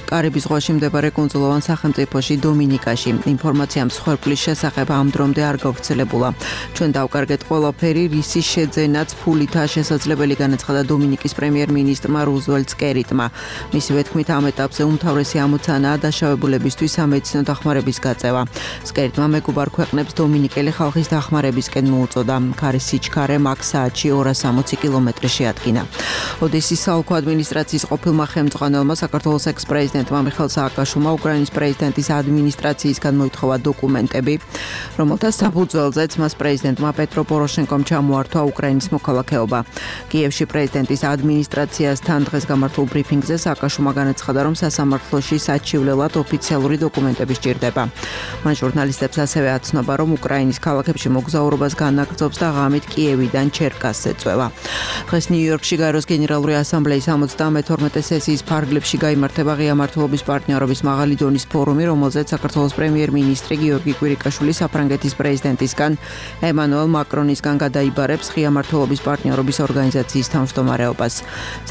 კარიბის ზღვაში მდებარე კუნძულოვან სახელმწიფოში დომინიკაში. ინფორმაცია მსხვერპლის შესახებ ამ დრომდე არ გავრცელებულა. ჩვენ დავკარგეთ ყველაფერი, რისი შეძენაც ფულითაა შესაძლებელი, განაცხადა დომინიკის პრემიერ-მინისტრმა რუზველტ სკერიტმა. მისივე თქმით, ამ ეტაპზე უმთავრესი ამოცანაა დაშავებულებისთვის სამედიცინო დახმარების გაწევა. სკერიტმა მეგობარ ქვეყნებს დომინიკელი ხალხის დახმარებისკენ მოუწოდა. ქარის სიჩქარე მაგ საათში ორას სამოცი კილომეტრი შეადგინა. ოდესის საოლქო ადმინისტრაციის ყოფილმა ხელმძღვანელმა საქართველოს ექს-პრეზიდენტმა მიხეილ სააკაშვილმა უკრაინის პრეზიდენტის ადმინისტრაციისგან მოითხოვა დოკუმენტები, რომელთა საფუძველზეც მას პრეზიდენტმა პეტრო პოროშენკომ ჩამოართვა უკრაინის მოქალაქეობა. კიევში პრეზიდენტის ადმინისტრაციასთან დღეს გამართულ ბრიფინგზე სააკაშვილმა განაცხადა, რომ სასამართლოში საჩივლელად ოფიციალური დოკუმენტები სჭირდება. მან ჟურნალისტებს ასევე აცნობა, რომ უკრაინის ქალაქებში მოგზაურობას განაგრძობს და ღამით კიევიდან ჩერკასზე წვევა. დღეს ნიუ-იორკში გაეროს გენერალური ასამბლეის სამოცდამეთორმეტე სესიის ფარგლებში გაიმართება ღია მმართველობის პარტნიორობის მაღალი დონის ფორუმი, რომელზეც საქართველოს პრემიერ-მინისტრი გიორგი კვირიკაშვილი საფრანგეთის პრეზიდენტისგან ემანუელ მაკრონისგან გადაიბარებს ღია მმართველობის პარტნიორობის ორგანიზაციის თავმჯდომარეობას.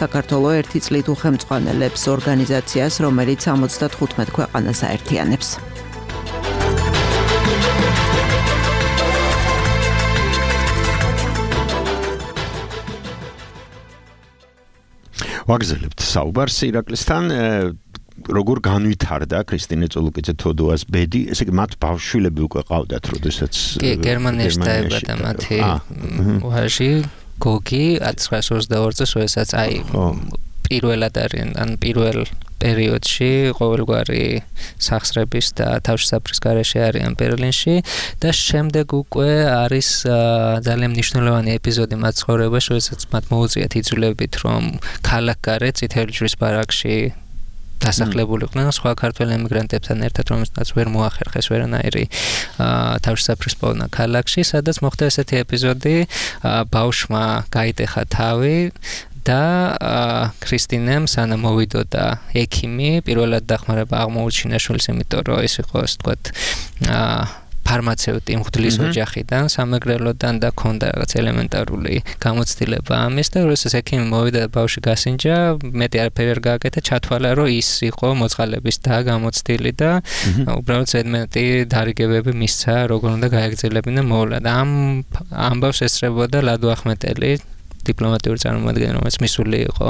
საქართველო ერთი წლით უხელმძღვანელებს ორგანიზაციას, რომელიც სამოცდათხუთმეტ ქვეყანას აერთიანებს. ვაგზელებთ საუბარს ირაკლისთან. როგორ განვითარდა ქრისტინე წოლუკიძე თოდუას ბედი, ესე იგი მათ ბავშვილები უკვე ყავდათ, როდესაც გერმანიაში დაიბადა მათი ვაჟი გოგი ათასცხრაასი ოცდაორი წელს, როდესაც აი პირველად არიან, ან პირველ პერიოდში ყოველგვარი სახსრების და თავშესაფრის გარეშე არიან ბერლინში და შემდეგ უკვე არის ძალიან მნიშვნელოვანი ეპიზოდი მათ ცხოვრებაში, როდესაც მათ მოუწიათ იძულებით, რომ ქალაქგარეთ წითელი ჯვრის ბარაკში დასახლებულიყვნენ სხვა ქართველ ემიგრანტებთან ერთად, რომელსაც ვერ მოახერხეს ვერანაირი თავშესაფრის პოვნა ქალაქში, სადაც მოხდა ესეთი ეპიზოდი, ბავშვმა გაიტეხა თავი და ქრისტინემ სანამ მოვიდოდა ექიმი, პირველად დახმარება აღმოუჩინა შვილს, იმიტომ რომ ის იყო, ასე ვთქვათ, ფარმაცევტი მღვდლის ოჯახიდან, სამეგრელოდან და ქონდა რაღაც ელემენტარული გამოცდილება ამის და როდესაც ექიმი მოვიდა და ბავშვი გასინჯა, მეტი არაფერი არ გააკეთა, ჩათვალა, რომ ის იყო მოწყალების და გამოცდილი და უბრალოდ ზედმეტი დარიგებები მისცა, როგორ უნდა გაეგრძელებინა მოვლა და ამ ამბავს ესწრებოდა ლადო ახმეტელი, დიპლომატიური წარმომადგენელი, რომელიც მისული იყო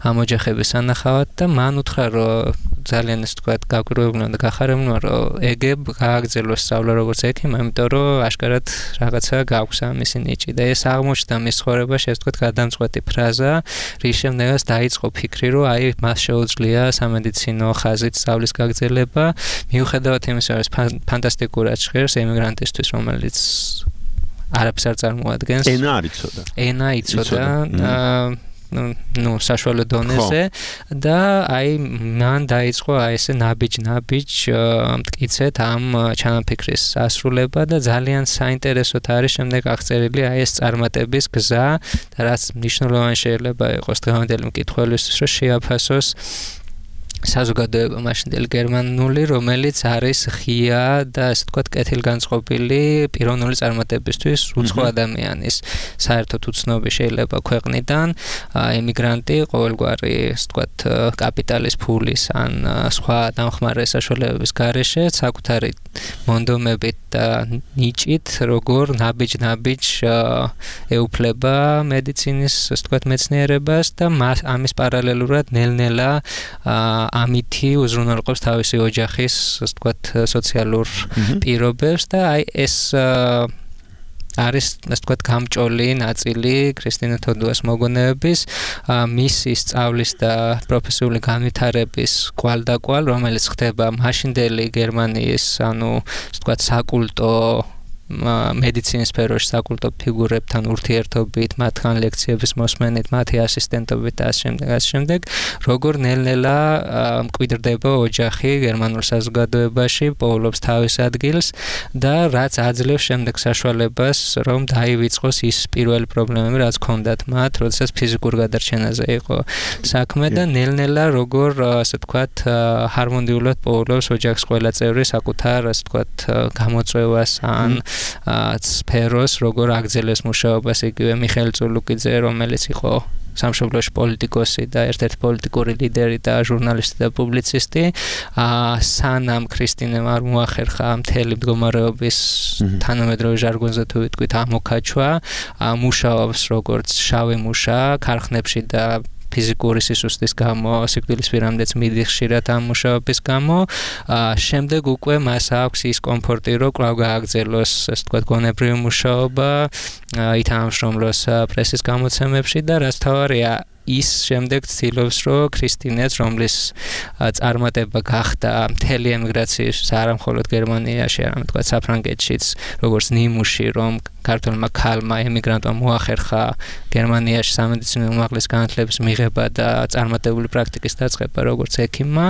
ამ ოჯახების სანახავად და მან უთხრა, რომ ძალიან ასე ვთქვათ, გაგვირგვებულმა და გახარებულმა, რომ ეგებ გააგრძელოს სწავლა როგორც ექიმი, იმიტომ რომ აშკარად რაღაცა გაქვს ამისი ნიჭი და ეს აღმოჩნდა მის ცხოვრებაში, ასე ვთქვათ, გადამწყვეტი ფრაზა, რის შემდეგაც დაიწყო ფიქრი, რომ აი მას შეუძლია სამედიცინო ხაზით სწავლის გაგრძელება, მიუხედავად იმისა, რომ ფანტასტიკურად ჟღერს ემიგრანტისთვის, რომელიც არაფერს არ წარმოადგენს. ენა არ იცოდა. ენა იცოდა. ნუ საშუალო დონეზე და აი მან დაიწყო აი ესე ნაბიჯ-ნაბიჯ მტკიცეთ ამ ჩანაფიქრის ასრულება და ძალიან საინტერესოდ არის შემდეგ აღწერილი აი ეს წარმატების გზა და რაც მნიშვნელოვანი შეიძლება იყოს დღევანდელი მკითხველისთვის, რომ შეაფასოს საზოგადოება მაშინდელი გერმანული, რომელიც არის ღია და ასე ვთქვათ, კეთილგანწყობილი პიროვნული წარმატებისთვის უცხო ადამიანის საერთოდ უცნობი შეიძლება ქვეყნიდან ემიგრანტი ყოველგვარი ასე ვთქვათ, კაპიტალის ფულის ან სხვა დამხმარე საშუალებების გარეშე საკუთარი მონდომებით და ნიჭით როგორ ნაბიჯ-ნაბიჯ ეუფლება მედიცინის ასე ვთქვათ, მეცნიერებას და ამის პარალელურად ნელ-ნელა ამითი უზრუნველყოფს თავისი ოჯახის, ასე ვთქვათ, სოციალურ პირობებს და აი ეს არის, ასე ვთქვათ, გამჭოლი ნაწილი ქრისტინე თოდუას მოგონებების, მისი სწავლის და პროფესიული განვითარების კვალდაკვალ, რომელიც ხდება მაშინდელი გერმანიის, ანუ, ასე ვთქვათ, საკულტო მედიცინის სფეროში საკულტო ფიგურებთან ურთიერთობით, მათგან ლექციების მოსმენით, მათი ასისტენტობით და ასე შემდეგ, ასე შემდეგ, როგორ ნელ-ნელა მკვიდრდება ოჯახი გერმანულ საზოგადოებაში, პოულობს თავის ადგილს და რაც აძლევს შემდეგ საშუალებას, რომ დაივიწყოს ის პირველი პრობლემები, რაც ჰქონდათ მათ, როდესაც ფიზიკურ გადარჩენაზე იყო საქმე და ნელ-ნელა როგორ, ასე ვთქვათ, ჰარმონიულად პოულობს ოჯახის ყველა წევრი საკუთარ, ასე ვთქვათ, გამოწვევას ან სფეროს, როგორ აგრძელებს მუშაობას იგივე მიხეილ წულუკიძე, რომელიც იყო სამშობლოში პოლიტიკოსი და ერთ-ერთი პოლიტიკური ლიდერი და ჟურნალისტი და პუბლიცისტი, სანამ ქრისტინემ არ მოახერხა მთელი მდგომარეობის თანამედროვე ჟარგონზე თუ ვიტყვით ამოქაჩვა, მუშაობს როგორც შავი მუშა ქარხნებში და ფიზიკური სისუსტის გამო, სიკვდილის პირამდეც მიდის ხშირად ამ მუშაობის გამო, შემდეგ უკვე მას აქვს ის კომფორტი, რომ კვლავ გააგრძელოს, ასე ვთქვათ, გონებრივი მუშაობა, ითანამშრომლოს პრესის გამოცემებში და რაც თავარია, ის შემდეგ ცდილობს, რომ ქრისტინეც, რომლის წარმატება გახდა მთელი ემიგრაციის, არა მხოლოდ გერმანიაში, არამედ თქვა საფრანგეთშიც, როგორც ნიმუში, რომ ქართულმა ქალმა ემიგრანტმა მოახერხა გერმანიაში სამედიცინო უმაღლეს განათლების მიღება და წარმატებული პრაქტიკის დაწყება, როგორც ექიმმა,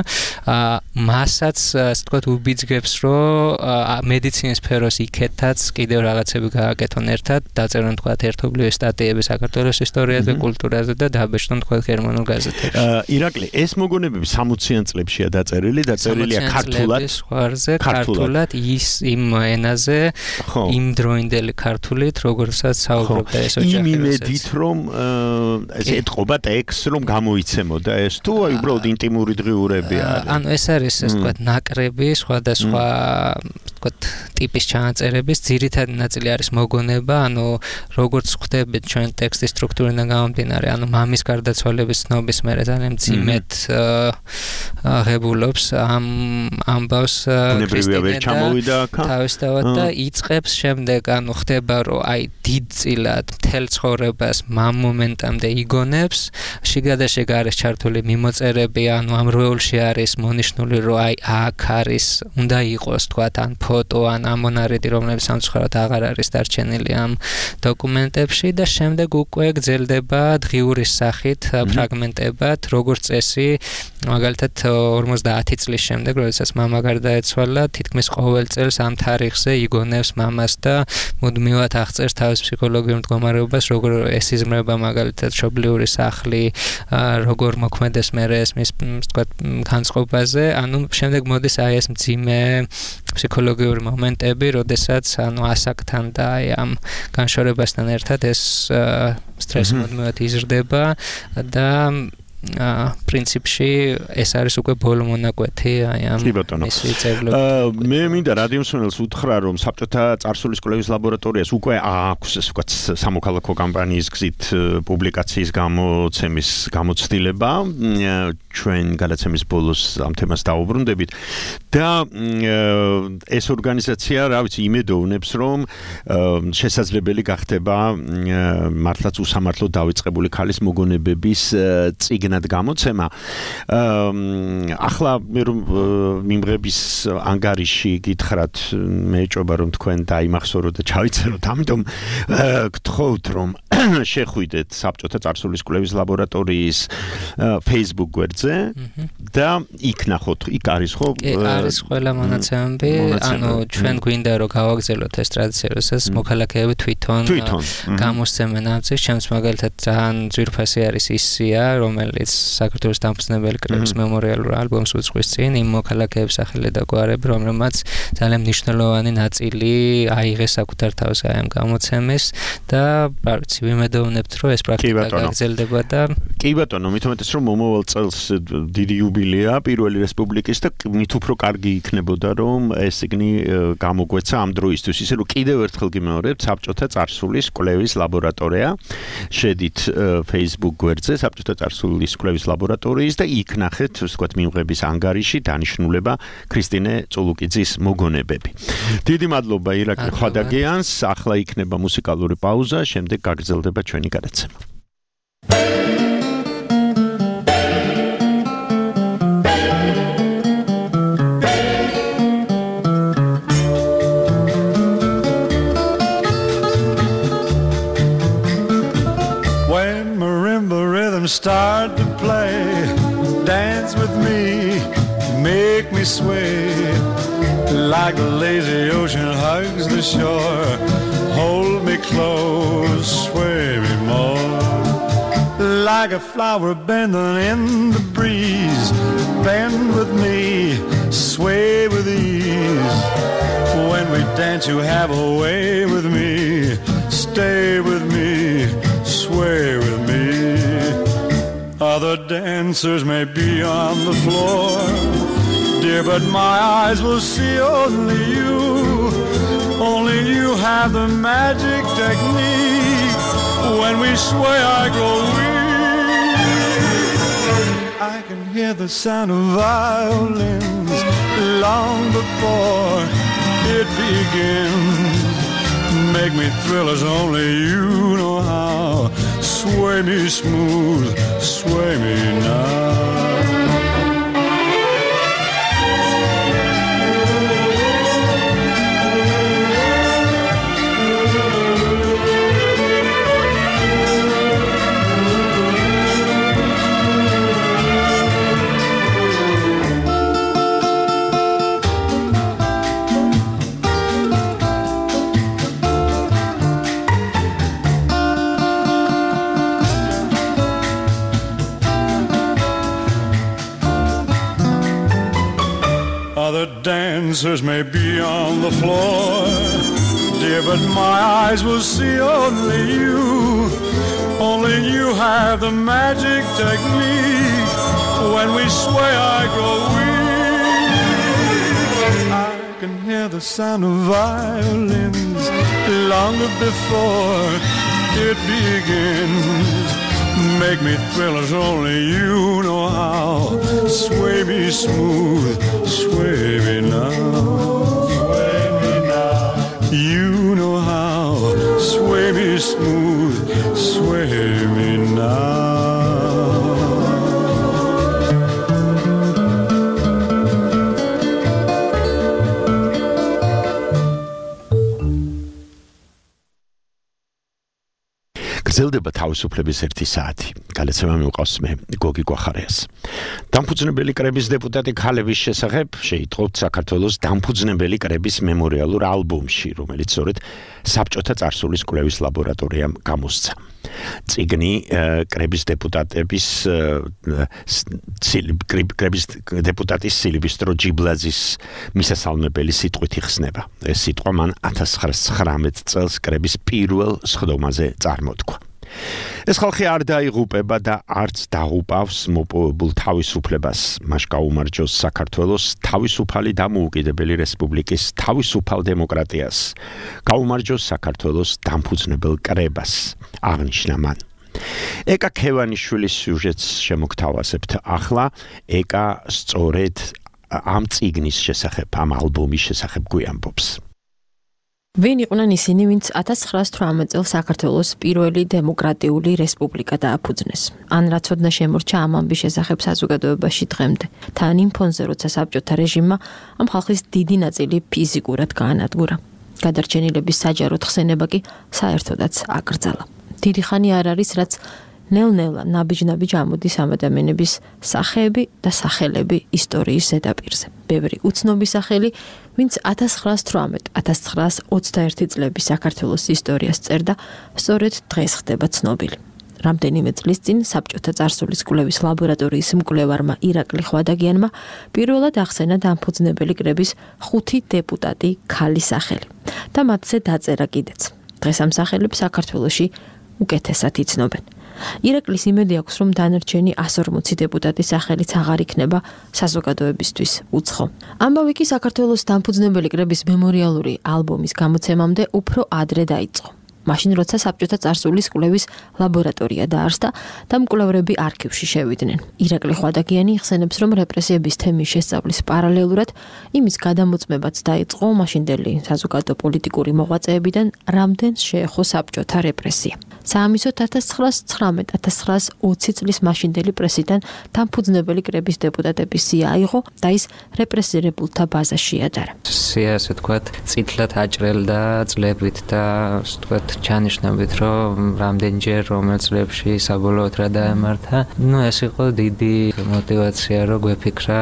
მასაც, ასე ვთქვათ, უბიძგებს, რომ მედიცინის სფეროს იქეთაც კიდევ რაღაცები გააკეთონ ერთად, დაწერონ თქვა ერთობლივი სტატიები საქართველოს ისტორიაზე, კულტურაზე და დაბეჭდონ თქვა გერმანულ გაზეთებში. ირაკლი, ეს მოგონებები სამოციან წლებშია დაწერილი, დაწერილია ქართულად, ზღვარზე, ქართულად, ის იმ ენაზე, იმ დროინდელი ქართულით, როგორცაც საუბრობდა ეს ოჯახი. იმ იმედით, რომ ეს ეთყობა ტექსტს, რომ გამოიცემოდა ეს თუ აი უბრალოდ ინტიმური დღიურები არის. ანუ ეს არის, ასე ვთქვათ, ნაკრები, სხვადასხვა, ვთქვათ, ტიპის ჩანაწერების ძირითადი ნაწილი არის მოგონება, ანუ როგორც ხვდებით ჩვენ ტექსტის სტრუქტურიდან გამომდინარე, ანუ მამის გარდაცვალების ცნობის მერე ძალიან მძიმედ ღებულობს ამ ამბავს ქრისტინე თავისთავად და იწყებს შემდეგ, ანუ ხდება, რომ აი დიდწილად მთელ ცხოვრებას მამ მომენტამდე იგონებს, შიგადაშიგ არის ჩართული მიმოწერები, ანუ ამ როულში არის მონიშნული, რომ აი აქ არის, უნდა იყოს თქვათ ან ფოტო, ან ამონარიდი, რომელიც სამწუხაროდ აღარ არის დარჩენილი ამ დოკუმენტებში და შემდეგ უკვე გრძელდება დღიურის სახით ფრაგმენტებად, როგორც წესი, მაგალითად ორმოცდაათი წლის შემდეგ, როდესაც მამა გარდაეცვალა, თითქმის ყოველ წელს ამ თარიღზე იგონებს მამას და მუდმივად აღწერს თავის ფსიქოლოგიურ მდგომარეობას, როგორ ესიზმრება მაგალითად მშობლიური სახლი, როგორ მოქმედეს მერე ეს მის, ვთქვათ, განწყობაზე, ანუ შემდეგ მოდის აი ეს მძიმე ფსიქოლოგიური მომენტები, როდესაც ანუ ასაკთან და აი ამ განშორებასთან ერთად ეს სტრესი მუდმივად იზრდება და პრინციპში ეს არის უკვე ბოლო მონაკვეთი აი ამ მისი წევრობის. მე მინდა რადიო მსმენელს უთხრა, რომ საბჭოთა წარსულის კვლევის ლაბორატორიას უკვე აქვს, ასე ვთქვათ, სამოქალაქო კამპანიის გზით პუბლიკაციის გამოცემის გამოცდილება. ჩვენ გადაცემის ბოლოს ამ თემას დაუბრუნდებით და ეს ორგანიზაცია, რა ვიცი, იმედოვნებს, რომ შესაძლებელი გახდება მართლაც უსამართლოდ დავიწყებული ქალის მოგონებების წიგნად გამოცემა. ახლა მე რომ მიმღების ანგარიში გითხრათ, მე ეჭობა რომ თქვენ დაიმახსოვროთ და ჩავიწეროთ, ამიტომ გთხოვთ რომ შეხვიდეთ საბჭოთა წარსულის კვლევის ლაბორატორიის Facebook გვერდზე და იქ ნახოთ, იქ არის ხო? არის ყველა მონაცემები, ანუ ჩვენ გვინდა რომ გავაგზავნოთ ეს ტრადიცია, როდესაც მოქალაქეები თვითონ გამოსცემენ ამ წიგნს, ჩემს მაგალითად ძალიან ძვირფასი არის ისია, რომელიც საქართველოს დამფუძნებელი კრების მემორიალურ ალბომს უძღვის წინ იმ მოქალაქეების სახელი და გვარები, რომელმაც ძალიან მნიშვნელოვანი ნაწილი აიღეს საკუთარ თავს აი ამ გამოცემის და რა ვიცი, ვიმედოვნებთ, რომ ეს პრაქტიკა გაგრძელდება და კი ბატონო, მით უმეტეს რომ მომავალ წელს დიდი იუბილეა პირველი რესპუბლიკის და მით უფრო კარგი იქნებოდა, რომ ეს წიგნი გამოგვეცა ამ დროისთვის, ისე რომ კიდევ ერთხელ გიმეორებთ, საბჭოთა წარსულის კვლევის ლაბორატორია, შედით Facebook გვერდზე, საბჭოთა წარსულის კვლევის ლაბორატორიის და იქ ნახეთ, ვთქვათ, მიმღების ანგარიში დანიშნულება ქრისტინე წულუკიძის მოგონებები. დიდი მადლობა ირაკლი ხვადაგიანს, ახლა იქნება მუსიკალური პაუზა, შემდეგ გაგრძელდება ჩვენი გადაცემა. start to play. Dance with me, make me sway. Like the lazy ocean hugs the shore. Hold me close, sway me more. Like a flower bending in the breeze. Bend with me, sway with ease. When we dance you have a way with me. Stay with me, sway with me. Other dancers may be on the floor, dear, but my eyes will see only you. Only you have the magic technique. When we sway I grow weak. I can hear the sound of violins long before it begins. Make me thrill as only you know how. Sway me smooth, sway me now. Other dancers may be on the floor, dear, but my eyes will see only you. Only you have the magic technique. When we sway I grow weak. I can hear the sound of violins long before it begins. Make me thrill as only you know how. Sway me smooth, sway me now. Sway me now. You know how. Sway me smooth, sway me now. გრძელდება თავისუფლების ერთი საათი. Გადაცემა მივყავს მე გოგი გვახარიას. დამფუძნებელი კრების დეპუტატი ქალების შესახებ შეიტყობთ საქართველოს დამფუძნებელი კრების მემორიალურ ალბომში, რომელიც სწორედ საბჭოთა წარსულის კვლევის ლაბორატორიამ გამოსცა. წიგნი კრების დეპუტატების კრების დეპუტატის სილვისტრო ჯიბლაძის მისასალმებელი სიტყვით იხსნება. ეს სიტყვა მან ათას ცხრაასი ცხრამეტ წელს კრების პირველ სხდომაზე წარმოთქვა. ეს ხალხი არ დაიღუპება და არც დაუპავს მოპოვებულ თავისუფლებას. მას გაუმარჯოს საქართველოს თავისუფალი დამოუკიდებელი რესპუბლიკის თავისუფალ დემოკრატიას. გაუმარჯოს საქართველოს დამფუძნებელ კრებას. აღნიშნა მან. ეკა ქევანიშვილის სიუჟეტს შემოგთავაზებთ ახლა. ეკა სწორედ ამ წიგნის შესახებ, ამ ალბომის შესახებ გვიამბობს. ვინ იყვნენ ისინი, ვინც ათას ცხრაასი თვრამეტ წელს საქართველოს პირველი დემოკრატიული რესპუბლიკა დააფუძნეს? ან რა ცოდნა შემორჩა ამ ამბის შესახებ საზოგადოებაში დღემდე? თან იმ ფონზე, როცა საბჭოთა რეჟიმმა ამ ხალხის დიდი ნაწილი ფიზიკურად გაანადგურა. გადარჩენილების საჯაროდ ხსენება კი საერთოდაც აკრძალა. დიდი ხანი არ არის, რაც ნელ-ნელა ნაბიჯ-ნაბიჯ ამოდის ამ ადამიანების სახეები და სახელები ისტორიის ზედაპირზე. ბევრი უცნობი სახელი, ვინც ათას ცხრაასი თვრამეტ ათას ცხრაასი ოცდაერთი წლების საქართველოს ისტორიას წერდა, სწორედ დღეს ხდება ცნობილი. რამდენიმე წლის წინ საბჭოთა წარსულის კვლევის ლაბორატორიის მკვლევარმა ირაკლი ხვადაგიანმა პირველად ახსენა დამფუძნებელი კრების ხუთი დეპუტატი ქალის სახელი და მათზე დაწერა კიდეც. დღეს ამ სახელებს საქართველოში უკეთესად იცნობენ. ირაკლის იმედი აქვს, რომ დანარჩენი ასი ორმოცი დეპუტატის სახელიც აღარ იქნება საზოგადოებისთვის უცხო. ამბავი კი საქართველოს დამფუძნებელი კრების მემორიალური ალბომის გამოცემამდე უფრო ადრე დაიწყო. მაშინ როცა საბჭოთა წარსულის კვლევის ლაბორატორია დაარსდა და მკვლევრები არქივში შევიდნენ. ირაკლი ხვადაგიანი იხსენებს, რომ რეპრესიების თემის შესწავლის პარალელურად იმის გადამოწმებაც დაიწყო მაშინდელი საზოგადო პოლიტიკური მოღვაწეებიდან, რამდენს შეეხო საბჭოთა რეპრესია. საამისოდ ათას ცხრაასი ცხრამეტ ათას ცხრაასი ოცი წლის მაშინდელი პრესიდან დამფუძნებელი კრების დეპუტატების სია აიღო და ის რეპრესირებულთა ბაზაში ადარა. სია, ასე ვთქვათ, წითლად აჭრელდა წლებით და ასე ვთქვათ, ჩანიშნებით, რომ რამდენჯერ რომელ წლებში საბოლოოდ რა დაემართა. ნუ ეს იყო დიდი мотиваცია, რომ გვეფიქრა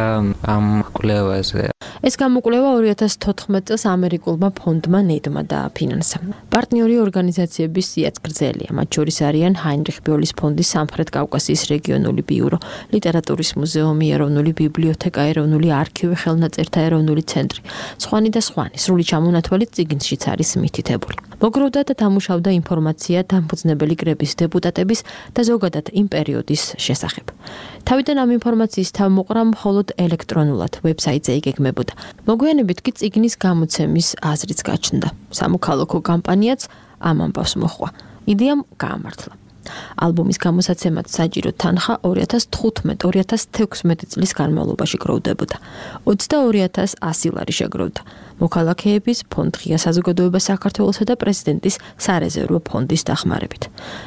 ამ კვლევაზე. ეს გამოკვლევა ორი ათას თოთხმეტ წელს ამერიკულმა ფონდმა ნედმა დააფინანსა. პარტნიორი ორგანიზაციების სიაც გრძელია, მათ შორის არიან ჰაინრიხ ბიოლის ფონდის სამხრეთ კავკასიის რეგიონული ბიურო, ლიტერატურის მუზეუმი, ეროვნული ბიბლიოთეკა, ეროვნული არქივი, ხელნაწერთა ეროვნული ცენტრი, სხვანი და სხვანი, სრული ჩამონათვალით წიგნშიც არის მითითებული. მოგროვდა და დამუშავდა ინფორმაცია დამფუძნებელი კრების დეპუტატების და ზოგადად იმ პერიოდის შესახებ. თავიდან ამ ინფორმაციის თავმოყრა მხოლოდ ელექტრონულად ვებსაიტზე იგეგმებოდა. მოგვიანებით კი წიგნის გამოცემის აზრიც გაჩნდა. სამოქალაქო კამპანიაც ამ ამბავს მოჰყვა. იდეამ გაამართლა. ალბომის გამოსაცემად საჭირო თანხა ორი ათას თხუთმეტ ორი ათას თექვსმეტ წლის განმავლობაში გროვდებოდა. ოცდაორი ათას ასი ლარი შეგროვდა. მოქალაქეების ფონდ ღია საზოგადოება საქართველოსა და პრეზიდენტის სარეზერვო ფონდის დახმარებით.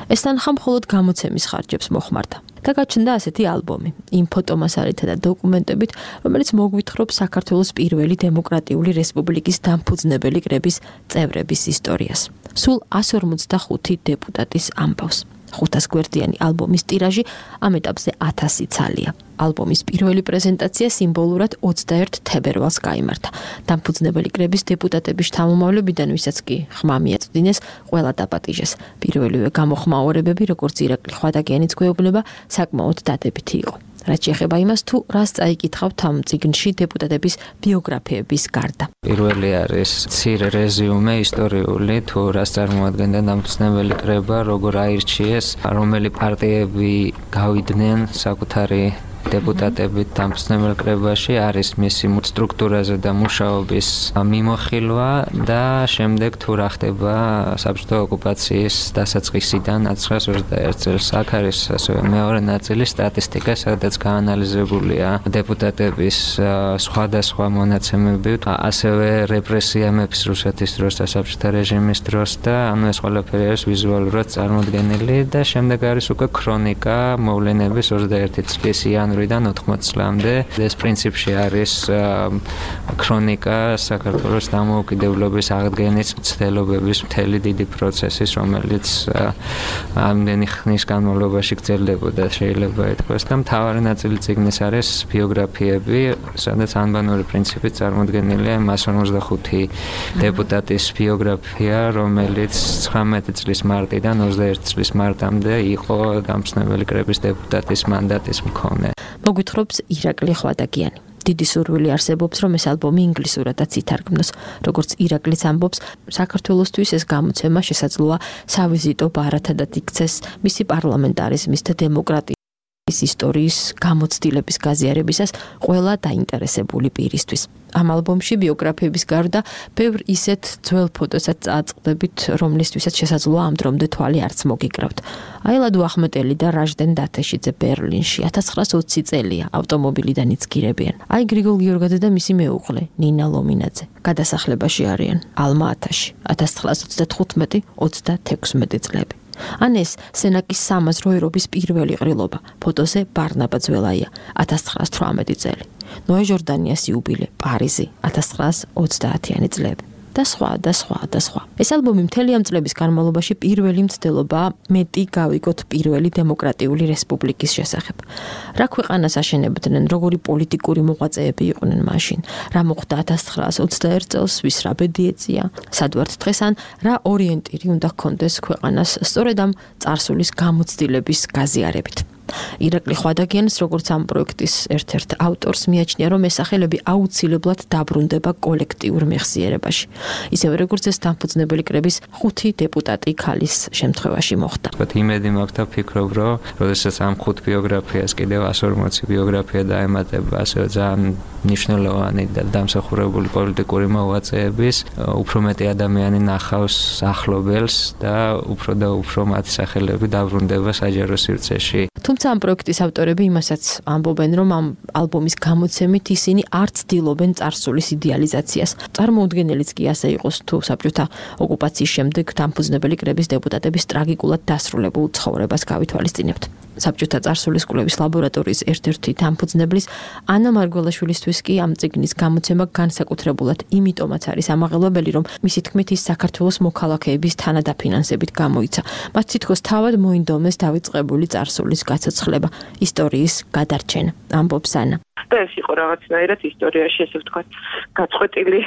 ეს თანხა მხოლოდ გამოცემის ხარჯებს მოხმარდა. და გაჩნდა ასეთი ალბომი, იმ ფოტომასალითა და დოკუმენტებით, რომელიც მოგვითხრობს საქართველოს პირველი დემოკრატიული რესპუბლიკის დამფუძნებელი კრების წევრების ისტორიას. სულ εκατს ორმოცდახუთი დეპუტატის ამბავს. ხუთას გვერდიანი ალბომის ტირაჟი ამ ეტაპზე ათასი ცალია. ალბომის პირველი პრეზენტაცია სიმბოლურად ოცდაერთ თებერვალს გაიმართა. დამფუძნებელი კრების დეპუტატების შთამომავლებიდან, ვისაც კი ხმა მიაწვდინეს, ყველა დაპატიჟეს. პირველივე გამოხმაურებები, როგორც ირაკლი ხვადაგიანიც გვეუბნება, საკმაოდ დადებითი იყო. რაც შეეხება იმას, თუ რას წაიკითხავთ ამ წიგნში დეპუტატების ბიოგრაფიების გარდა. პირველი არის მცირე რეზიუმე ისტორიული, თუ რას წარმოადგენდა დამფუძნებელი კრება, როგორ აირჩიეს, რომელი პარტიები გავიდნენ საკუთარი დეპუტატებით დამფუძნებელ კრებაში, არის მისი სტრუქტურაზე და მუშაობის მიმოხილვა და შემდეგ თუ რა ხდება საბჭოთა ოკუპაციის დასაწყისიდან ათასცხრაასი ოცდაერთი წელს. აქ არის ასევე მეორე ნაწილი სტატისტიკა, სადაც გაანალიზებულია დეპუტატების სხვადასხვა მონაცემები, ასევე რეპრესია მეფის რუსეთის დროს და საბჭოთა რეჟიმის დროს და ანუ ეს ყველაფერი არის ვიზუალურად წარმოდგენილი და შემდეგ არის უკვე ქრონიკა მოვლენების ოცდაერთი წლის იანვრიდან ოთხმოცი წლამდე. ეს პრინციპში არის ქრონიკა საქართველოს დამოუკიდებლობის აღდგენის მცდელობების მთელი დიდი პროცესის, რომელიც ამდენი ხნის განმავლობაში გრძელდებოდა, შეიძლება ითქვას და მთავარი ნაწილი წიგნის არის ბიოგრაფიები, სადაც ანბანური პრინციპით წარმოდგენილია εκατს ორმოცდახუთი დეპუტატის ბიოგრაფია, რომელიც ცხრამეტი წლის მარტიდან ოცდაერთი წლის მარტამდე იყო დამფუძნებელი კრების დეპუტატის მანდატის მქონე. მოგვითხრობს ირაკლი ხვადაგიანი. დიდი სურვილი არსებობს, რომ ეს ალბომი ინგლისურადაც ითარგმნოს. როგორც ირაკლიც ამბობს, საქართველოსთვის ეს გამოცემა შესაძლოა სავიზიტო ბარათადად იქცეს მისი პარლამენტარიზმის და დემოკრატიის ისტორიის გამოცდილების გაზიარებისას ყველა დაინტერესებული პირისთვის. ამ ალბომში ბიოგრაფიების გარდა ბევრ ისეთ ძველ ფოტოსაც წააწყდებით, რომლისთვისაც შესაძლოა ამ დრომდე თვალი არც მოგიკრავთ. აილადუ ახმეტელი და რაჟდენ დათეშიძე ბერლინში ათას ცხრაას ოცი წელია ავტომობილიდან იცგირებიან. აი გრიგოლ გიორგაძე და მისი მეუღლე ნინა ლომინაძე გადასახლებაში არიან ალმა-ათაში ათას ცხრაას ოცდათხუთმეტი ოცდათექვსმეტი წლები. ან ეს სენაკის სამაზრო ერობის პირველი ყრილობა, ფოტოზე ბარნაბა ძველაია ათას ცხრაას თვრამეტი წელი. ნოე ჟორდანიას იუბილე, პარიზი ათას ცხრაას ოცდაათიანი წლები. და სხვა და სხვა და სხვა. ეს ალბომი მთელი ამ წლების განმავლობაში პირველი მცდელობაა მეტი გავიგოთ პირველი დემოკრატიული რესპუბლიკის შესახებ. რა ქვეყანას აშენებდნენ, როგორი პოლიტიკური მოღვაწეები იყვნენ მაშინ, რა მოხდა ათას ცხრაას ოცდაერთ წელს, ვის რა ბედი ეწია, სად ვართ დღეს ან რა ორიენტირი უნდა ჰქონდეს ქვეყანას სწორედ ამ წარსულის გამოცდილების გაზიარებით. ირაკლი ხვადაგიანს, როგორც ამ პროექტის ერთ-ერთ ავტორს, მიაჩნია, რომ ეს სახელები აუცილებლად დაბრუნდება კოლექტიურ მეხსიერებაში. ისევე როგორც ეს დამფუძნებელი კრების ხუთი დეპუტატი ქალის შემთხვევაში მოხდა. ვთქვათ, იმედი მაქვს და ვფიქრობ, რომ როდესაც ამ ხუთ ბიოგრაფიას კიდევ εκατს ორმოცი ბიოგრაფია დაემატება, ასევე ძალიან მნიშვნელოვანი და დამსახურებული პოლიტიკური მოღვაწეების, უფრო მეტი ადამიანი ნახავს ახლობელს და უფრო და უფრო მათი სახელები დაბრუნდება საჯარო სივრცეში. თუმცა ამ პროექტის ავტორები იმასაც ამბობენ, რომ ამ ალბომის გამოცემით ისინი არ ცდილობენ წარსულის იდეალიზაციას. წარმოუდგენელიც კი ასე იყოს, თუ საბჭოთა ოკუპაციის შემდეგ დამფუძნებელი კრების დეპუტატების ტრაგიკულად დასრულებულ ცხოვრებას გავითვალისწინებთ. საბჭოთა წარსულის კვლევის ლაბორატორიის ერთ-ერთი დამფუძნებლის ანა მარგველაშვილისთვის კი ამ წიგნის გამოცემა განსაკუთრებულად იმიტომაც არის ამაღელვებელი, რომ მისი თქმით ის საქართველოს მოქალაქეების თანადაფინანსებით გამოიცა. მათ თითქოს თავად მოინდომეს დავიწყებული წარსულის გაცოცხლება, ისტორიის გადარჩენა, ამბობს ანა. და ეს იყო რაღაცნაირად ისტორიაში, ესე ვთქვათ, გაწყვეტილი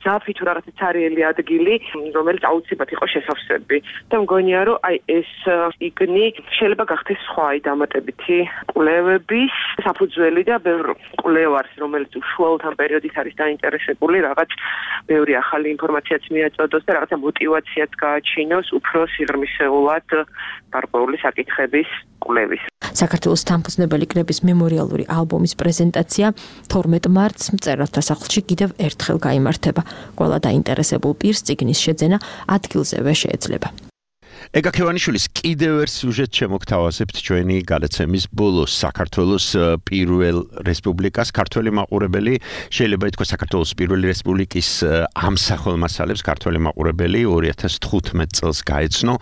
ძაფი თუ რაღაცა ცარიელი ადგილი, რომელიც აუცილებლად იყო შესავსები. და მგონია, რომ აი ეს იგნი შეიძლება გახდეს სხვა აი დამატებითი კვლევების საფუძველი და ბევრ კვლევარს, რომელიც უშუალოდ ამ პერიოდით არის დაინტერესებული, რაღაც ბევრი ახალი ინფორმაციაც მიაწოდოს და რაღაცა მოტივაციაც გააჩინოს უფრო სიღრმისეულად გარკვეული საკითხების კვლევის. საქართველოს დამფუძნებელი კრების მემორიალური ალბომის პრეზენტაცია თორმეტ მარტს მწერალთა სახლში კიდევ ერთხელ გაიმართება. ყველა დაინტერესებულ პირს წიგნის შეძენა ადგილზევე შეეძლება. ეგა ქევანიშვილის კიდევ ერთ სიუჟეტს შემოგთავაზებთ ჩვენი გადაცემის ბოლოს. საქართველოს პირველ რესპუბლიკას ქართველი მაყურებელი, შეიძლება ითქვას საქართველოს პირველი რესპუბლიკის ამსახველმასალებს ქართველი მაყურებელი ორი ათას თხუთმეტ წელს გაეცნო.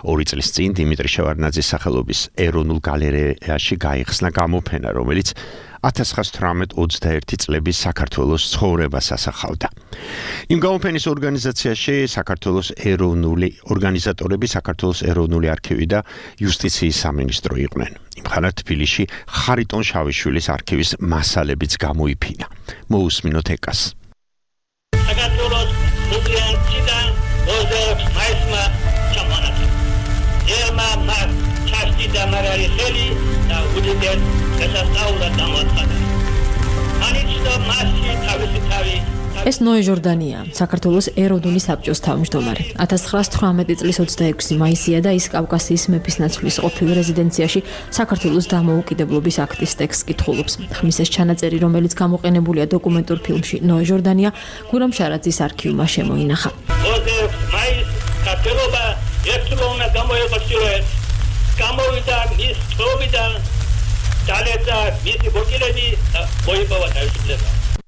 ორი წლის წინ დიმიტრი შევარდნაძის სახელობის ეროვნულ გალერეაში გაიხსნა გამოფენა, რომელიც ათას ცხრაას თვრამეტ ოცდაერთი წლების საქართველოს ცხოვრებას ასახავდა. იმ გამოფენის ორგანიზაციაში საქართველოს ეროვნული ორგანიზატორები, საქართველოს ეროვნული არქივი და იუსტიციის სამინისტრო იყვნენ. იმხანად თბილისში ხარიტონ შავიშვილის არქივის მასალებიც გამოიფინა. მოусმინოთ ეკას. საქართველოს რუსიანიდან ოცდაექვსი მაისმა ჩამონათლა. ერმა მას ჩაშტი და მარალი ხელი და უდიდეს გასასწაულად გამოაცხადა. ანიჩნო მასში თავისი თავი ეს ნოე ჟორდანია, საქართველოს ეროვნული საბჭოს თავმჯდომარე. ათას ცხრაას თვრამეტი წლის ოცდაექვსი მაისია და ის კავკასიის მეფისნაცვლის ყოფილ რეზიდენციაში საქართველოს დამოუკიდებლობის აქტის ტექსტს კითხულობს. ხმის ეს ჩანაწერი, რომელიც გამოყენებულია დოკუმენტურ ფილმში ნოე ჟორდანია, გურამ შარაძის არქივმა შემოინახა. ოცდაექვსი მაისს საქართველობა ერთდროულად გამოიყენებოდა. გამოვიდა მის თრობიდან დალეცა მისი ბოჭილები და მოიპოვა თავისუფლება.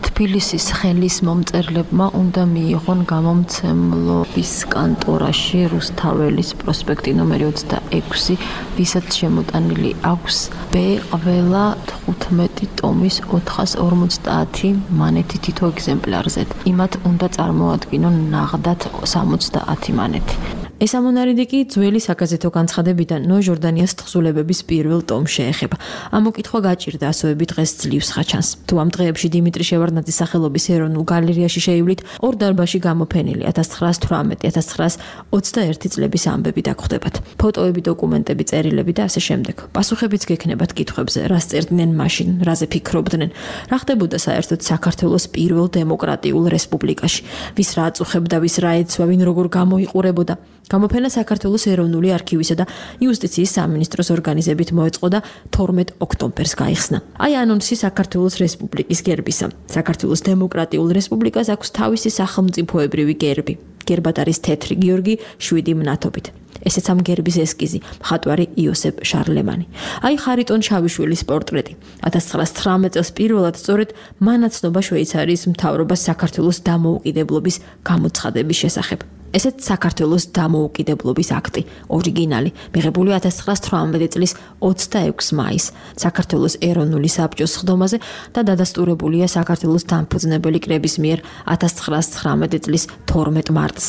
თბილისის ხელის მომწერლებმა უნდა მიიღონ გამომცემლობის კანტორაში რუსთაველის პროსპექტი ნომერი ოცდაექვსი, ვისაც შემოტანილი აქვს ბ ყველა თხუთმეტი ტომის ოთხას ორმოცდაათი მანეთი თითო ეგზემპლარზე. იმათ უნდა წარმოადგინონ ნაღდათ სამოცდაათი მანეთი. ეს ამონარიდი კი ძველი საგაზეთო განცხადებიდან ნოე ჟორდანიას თხზულებების პირველ ტომს შეეხება. ამ მოკითხვა გაჭირდა ასოები დღეს ძლივს ხაჩანს. თუ ამ დღეებში დიმიტრი შევარდნაძის სახელობის ეროვნულ გალერეაში შეივლით, ორ დარბაზში გამოფენილი ათას ცხრაას თვრამეტი ათას ცხრაას ოცდაერთი წლების ამბები დაგხვდებათ. ფოტოები, დოკუმენტები, წერილები და ასე შემდეგ. პასუხებიც გექნებათ კითხვებზე, რა სწერდნენ მაშინ, რაზე ფიქრობდნენ, რა ხდებოდა საერთოდ საქართველოს პირველ დემოკრატიულ რესპუბლიკაში, ვის რა აწუხებდა, ვის რა ეცვა, ვინ როგორ გამოიყურებოდა. გამოფენა საქართველოს ეროვნული არქივისა და იუსტიციის სამინისტროს ორგანიზებით მოეწყო და თორმეტ ოქტომბერს გაიხსნა. აი ანონსი საქართველოს რესპუბლიკის გერბისა. საქართველოს დემოკრატიულ რესპუბლიკას აქვს თავისი სახელმწიფოებრივი გერბი. გერბად არის თეთრი გიორგი შვიდი მნათობით. ესეც ამ გერბის ესკიზი, მხატვარი იოსებ შარლემანი. აი ხარიტონ შავიშვილის პორტრეტი. ათას ცხრაას ცხრამეტ წელს პირველად სწორედ მანაცნობა შვეიცარიის მთავრობას საქართველოს დამოუკიდებლობის გამოცხადების შესახებ. ესეც საქართველოს დამოუკიდებლობის აქტი, ორიგინალი, მიღებული ათას ცხრაას თვრამეტი წლის ოცდაექვსი მაისს საქართველოს ეროვნული საბჭოს სხდომაზე და დადასტურებულია საქართველოს დამფუძნებელი კრების მიერ ათას ცხრაას ცხრამეტი წლის თორმეტ მარტს.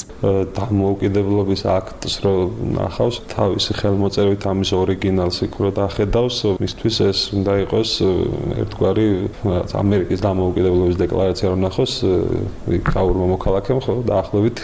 დამოუკიდებლობის აქტს რო ნახავს, თავისი ხელმოწერით ამის ორიგინალს იქ რო დახედავს, მისთვის ეს უნდა იყოს ერთგვარი ამერიკის დამოუკიდებლობის დეკლარაცია რო ნახოს, გაურმა მოქალაქემ, ხო, დაახლოებით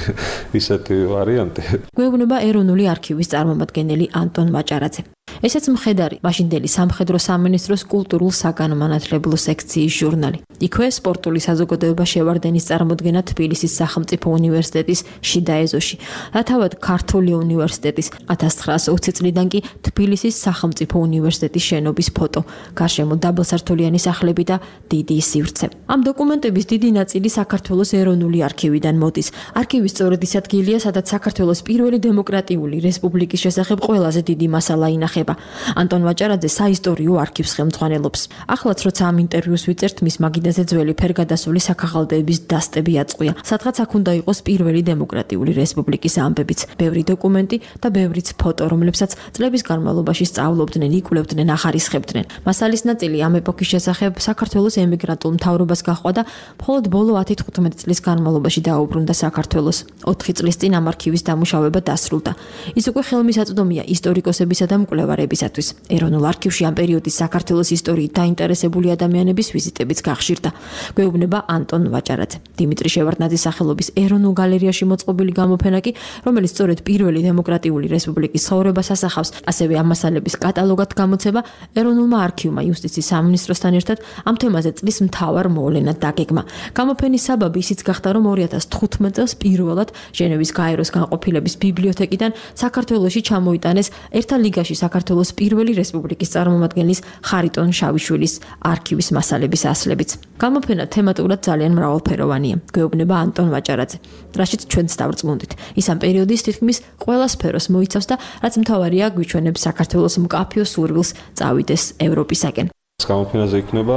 ისეთი ვარიანტი. გვეუბნება ეროვნული არქივის წარმომადგენელი ანტონ მაჭარაძე. ესეც მხედარი მაშინდელი სამხედრო სამინისტროს კულტურულ საგანმანათლებლო სექციის ჟურნალი. იქვე სპორტული საზოგადოება შევარდენის წარმოდგენა თბილისის სახელმწიფო უნივერსიტეტის შიდა ეზოში. რათავად ქართული უნივერსიტეტის ათას ცხრაას ოცი წლიდან კი თბილისის სახელმწიფო უნივერსიტეტის შენობის ფოტო. გარშემო დაბალსართულიანი სახლები და დიდი სივრცე. ამ დოკუმენტების დიდი ნაწილი საქართველოს ეროვნული არქივიდან მოდის. არქივი სწორედ ის ადგილია, სადაც საქართველოს პირველი დემოკრატიული რესპუბლიკის შესახებ ყველაზე დიდი მასალა ინახება. იხება. ანტონ ვაჭარაძე საისტორიო არქივს ხელმძღვანელობს. ახლაც როცა ამ ინტერვიუს ვიწერთ, მის მაგიდაზე ძველი ფერგადასული საქაღალდეების დასტები აწყვია. სადღაც აქ უნდა იყოს პირველი დემოკრატიული რესპუბლიკის ამბებიც, ბევრი დოკუმენტი და ბევრიც ფოტო, რომლებსაც წლების განმავლობაში სწავლობდნენ, იკვლევდნენ, ახარისხებდნენ. მასალის ნაწილი ამ ეპოქის შესახებ საქართველოს ემიგრანტულ მთავრობას გაჰყვა და მხოლოდ ბოლო ათი-თხუთმეტი წლის განმავლობაში დაუბრუნდა საქართველოს. ოთხი წლის წინ ამ არქივის დამუშავება დასრულდა. ის უკვე ხელმისაწვდომია ისტორიკოსებისა და მკვლევარებისათვის. ეროვნულ არქივში ამ პერიოდის საქართველოს ისტორიით დაინტერესებული ადამიანების ვიზიტებიც გახშირდა. გვეუბნება ანტონ ვაჭარაძე. დიმიტრი შევარდნაძის სახელობის ეროვნულ გალერეაში მოწყობილი გამოფენა კი, რომელიც სწორედ პირველი დემოკრატიული რესპუბლიკის ცხოვრებას ასახავს, ასევე ამ მასალების კატალოგად გამოცება ეროვნულმა არქივმა იუსტიციის სამინისტროსთან ერთად ამ თემაზე წლის მთავარ მოვლენად დაგეგმა. გამოფენის საბაბი ისიც გახდა, რომ ორი ათას თხუთმეტ წელს პირველად ჟენევის გაეროს განყოფილების ბიბლიოთეკიდან საქართველოში ჩამოიტანეს ერთა ლიგაში საქართველოს პირველი რესპუბლიკის წარმომადგენლის ხარიტონ შავიშვილის არქივის მასალების ასლებიც. გამოფენა თემატურად ძალიან მრავალფეროვანია, გვეუბნება ანტონ ვაჭარაძე, რაშიც ჩვენც დავრწმუნდით. ის ამ პერიოდის თითქმის ყველა სფეროს მოიცავს და რაც მთავარია, გვიჩვენებს საქართველოს მკაფიო სურვილს წავიდეს ევროპისაკენ. გამოფენაზე იქნება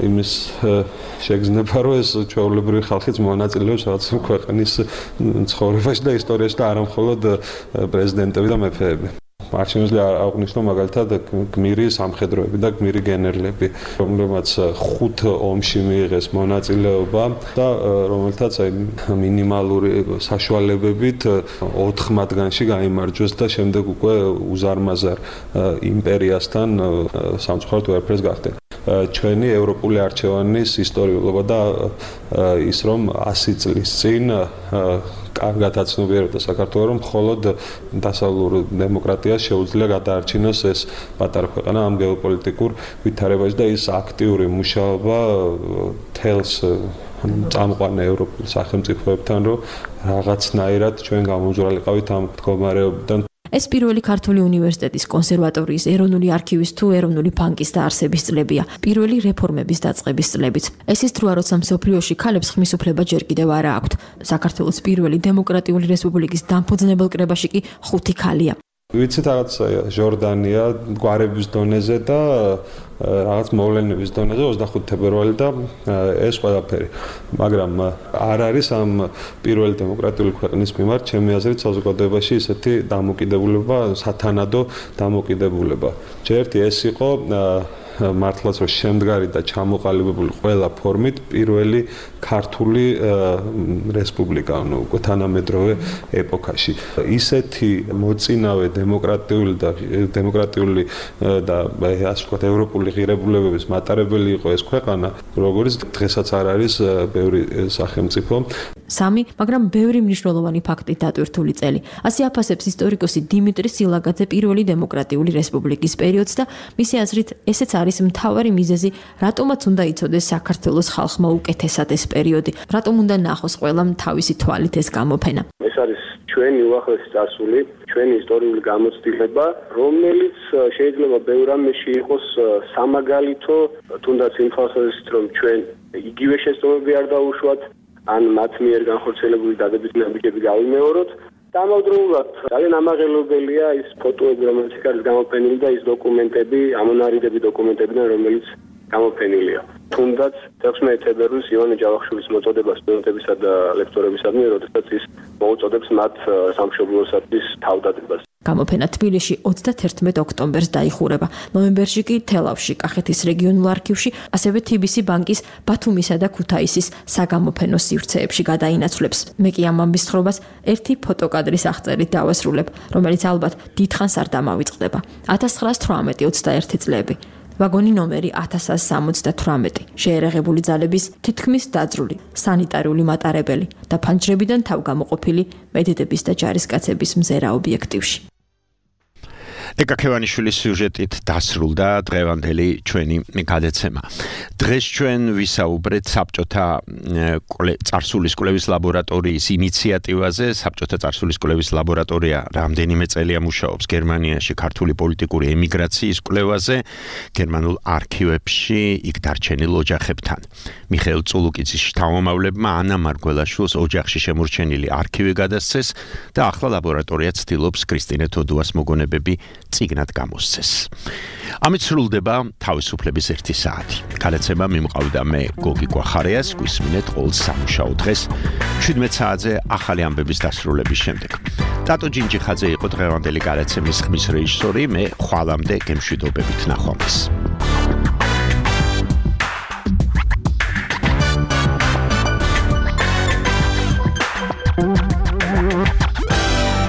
იმის შეგრძნება, რომ ეს ჩვეულებრივი ხალხიც მონაწილეობს რაღაც ქვეყნის ცხოვრებაში და ისტორიაში და არა მხოლოდ პრეზიდენტები და მეფეები. არ შემიძლია აღვნიშნო მაგალითად გმირი სამხედროები და გმირი გენერლები, რომლებმაც ხუთ ომში მიიღეს მონაწილეობა და რომელთაც აი მინიმალური საშუალებებით ოთხ მათგანში გაიმარჯვეს და შემდეგ უკვე უზარმაზარ იმპერიასთან სამწუხაროდ უერფერს გახდნენ. ჩვენი ევროპული არჩევანის ისტორიულობა და ის რომ ასი წლის წინ კარგად აცნობიერებდა საქართველოს, რომ მხოლოდ დასავლურ დემოკრატიას შეუძლია გადაარჩინოს ეს პატარა ქვეყანა ამ გეოპოლიტიკურ ვითარებაში და ის აქტიური მუშაობა თელს წამყვან ევროპულ სახელმწიფოებთან, რომ რაღაცნაირად ჩვენ გამომძვრალიყავით ამ მდგომარეობიდან. ეს პირველი ქართული უნივერსიტეტის კონსერვატორიის ეროვნული არქივის თუ ეროვნული ბანკის დაარსების წლებია, პირველი რეფორმების დაწყების წლებიც. ეს ის დროა, როცა მსოფლიოში ქალებს ხმის უფლება ჯერ კიდევ არა აქვთ. საქართველოს პირველი დემოკრატიული რესპუბლიკის დამფუძნებელ კრებაში კი ხუთი ქალია. ვიცით რაღაც ჟორდანია გვარების დონეზე და რაღაც მოვლენების დონეზე ოცდახუთი თებერვალი და ეს ყველაფერი. მაგრამ არ არის ამ პირველი დემოკრატიული ქვეყნის მიმართ ჩემი აზრით საზოგადოებაში ისეთი დამოკიდებულება, სათანადო დამოკიდებულება. ჯერტი ეს იყო მართლაც რომ შემდგარი და ჩამოყალიბებული ყველა ფორმით პირველი ქართული რესპუბლიკა, ну, უკვე თანამედროვე ეპოქაში. ისეთი მოწინავე დემოკრატიული და დემოკრატიული და ასე ვთქვათ ევროპული ღირებულებების მატარებელი იყო ეს ქვეყანა, როგორც დღესაც არ არის ბევრი სახელმწიფო. სამი, მაგრამ ბევრი მნიშვნელოვანი ფაქტით დატვირთული წელი. ასე აფასებს ისტორიკოსი დიმიტრი სილაგაძე პირველი დემოკრატიული რესპუბლიკის პერიოდს და მისი აზრით ესეც არის მთავარი მიზეზი, რატომაც უნდა იცოდეს საქართველოს ხალხმა უკეთესად ეს პერიოდი, რატომ უნდა ნახოს ყველამ თავისი თვალით ეს გამოფენა. ეს არის ჩვენი უახლესი წარსული, ჩვენი ისტორიული გამოცდილება, რომელიც შეიძლება ბევრ რამეში იყოს სამაგალითო, თუნდაც იმ ხალხებისთვის, რომ ჩვენ იგივე შეცდომები არ დაუშვათ, ან მათ მიერ განხორციელებული დადებითი ნაბიჯები გავიმეოროთ. დამავდროულად ძალიან ამაღელებელია ის ფოტოები, რომელიც იქ არის გამოფენილი და ის დოკუმენტები, ამონარიდები დოკუმენტებიდან, რომელიც გამოფენილია. თუნდაც მეექვსმეტი თებერვლის ივანე ჯავახიშვილის მოწოდება სტუდენტებისა და ლექტორებისადმი, როდესაც ის მოუწოდებს მათ სამშობლოსათვის თავდადებას. გამოფენა თბილისში ოცდათერთმეტ ოქტომბერს დაიხურება. ნოემბერში კი თელავში, კახეთის რეგიონულ არქივში, ასევე თი ბი სი ბანკის ბათუმისა და ქუთაისის საგამოფენო სივრცეებში გადაინაცვლებს. მე კი ამ ამბის თხრობას ერთი ფოტოკადრის აღწერით დავასრულებ, რომელიც ალბათ დიდხანს არ დამავიწყდება. ათას ცხრაას თვრამეტი ოცდაერთი წლები. ვაგონი ნომერი ათას ათს სამოცდათვრამეტი, შეერაღებული ძალების თითქმის დაძრული, სანიტარული მატარებელი და ფანჯრებიდან თავგამოყოფილი მედიდების და ჯარისკაცების მზერა ობიექტივში. ეკა ქევანიშვილის სიუჟეტით დასრულდა დღევანდელი ჩვენი გადაცემა. დღეს ჩვენ ვისაუბრეთ საბჭოთა წარსულის კვლევის ლაბორატორიის ინიციატივაზე. საბჭოთა წარსულის კვლევის ლაბორატორია რამდენიმე წელია მუშაობს გერმანიაში ქართული პოლიტიკური ემიგრაციის კვლევაზე, გერმანულ არქივებში იქ დარჩენილ ოჯახებთან. მიხეილ წულუკიძის შთამომავლებმა ანა მარგველაშვილს ოჯახში შემორჩენილი არქივი გადასცეს და ახლა ლაბორატორია ცდილობს კრისტინე თოდუას მოგონებები წიგნად გამოსცეს. ამით სრულდება თავისუფლების ერთი საათი. გადაცემა მიმყავდა მე გოგი გვახარიას, გვისმინეთ ყოველ სამუშაო დღეს შვიდმეტ საათზე ახალი ამბების დასრულების შემდეგ. ტატო ჯინჯიხაძე იყო დღევანდელი გადაცემის ხმის რეჟისორი, მე ხვალამდე გემშვიდობებით ნახვამდის.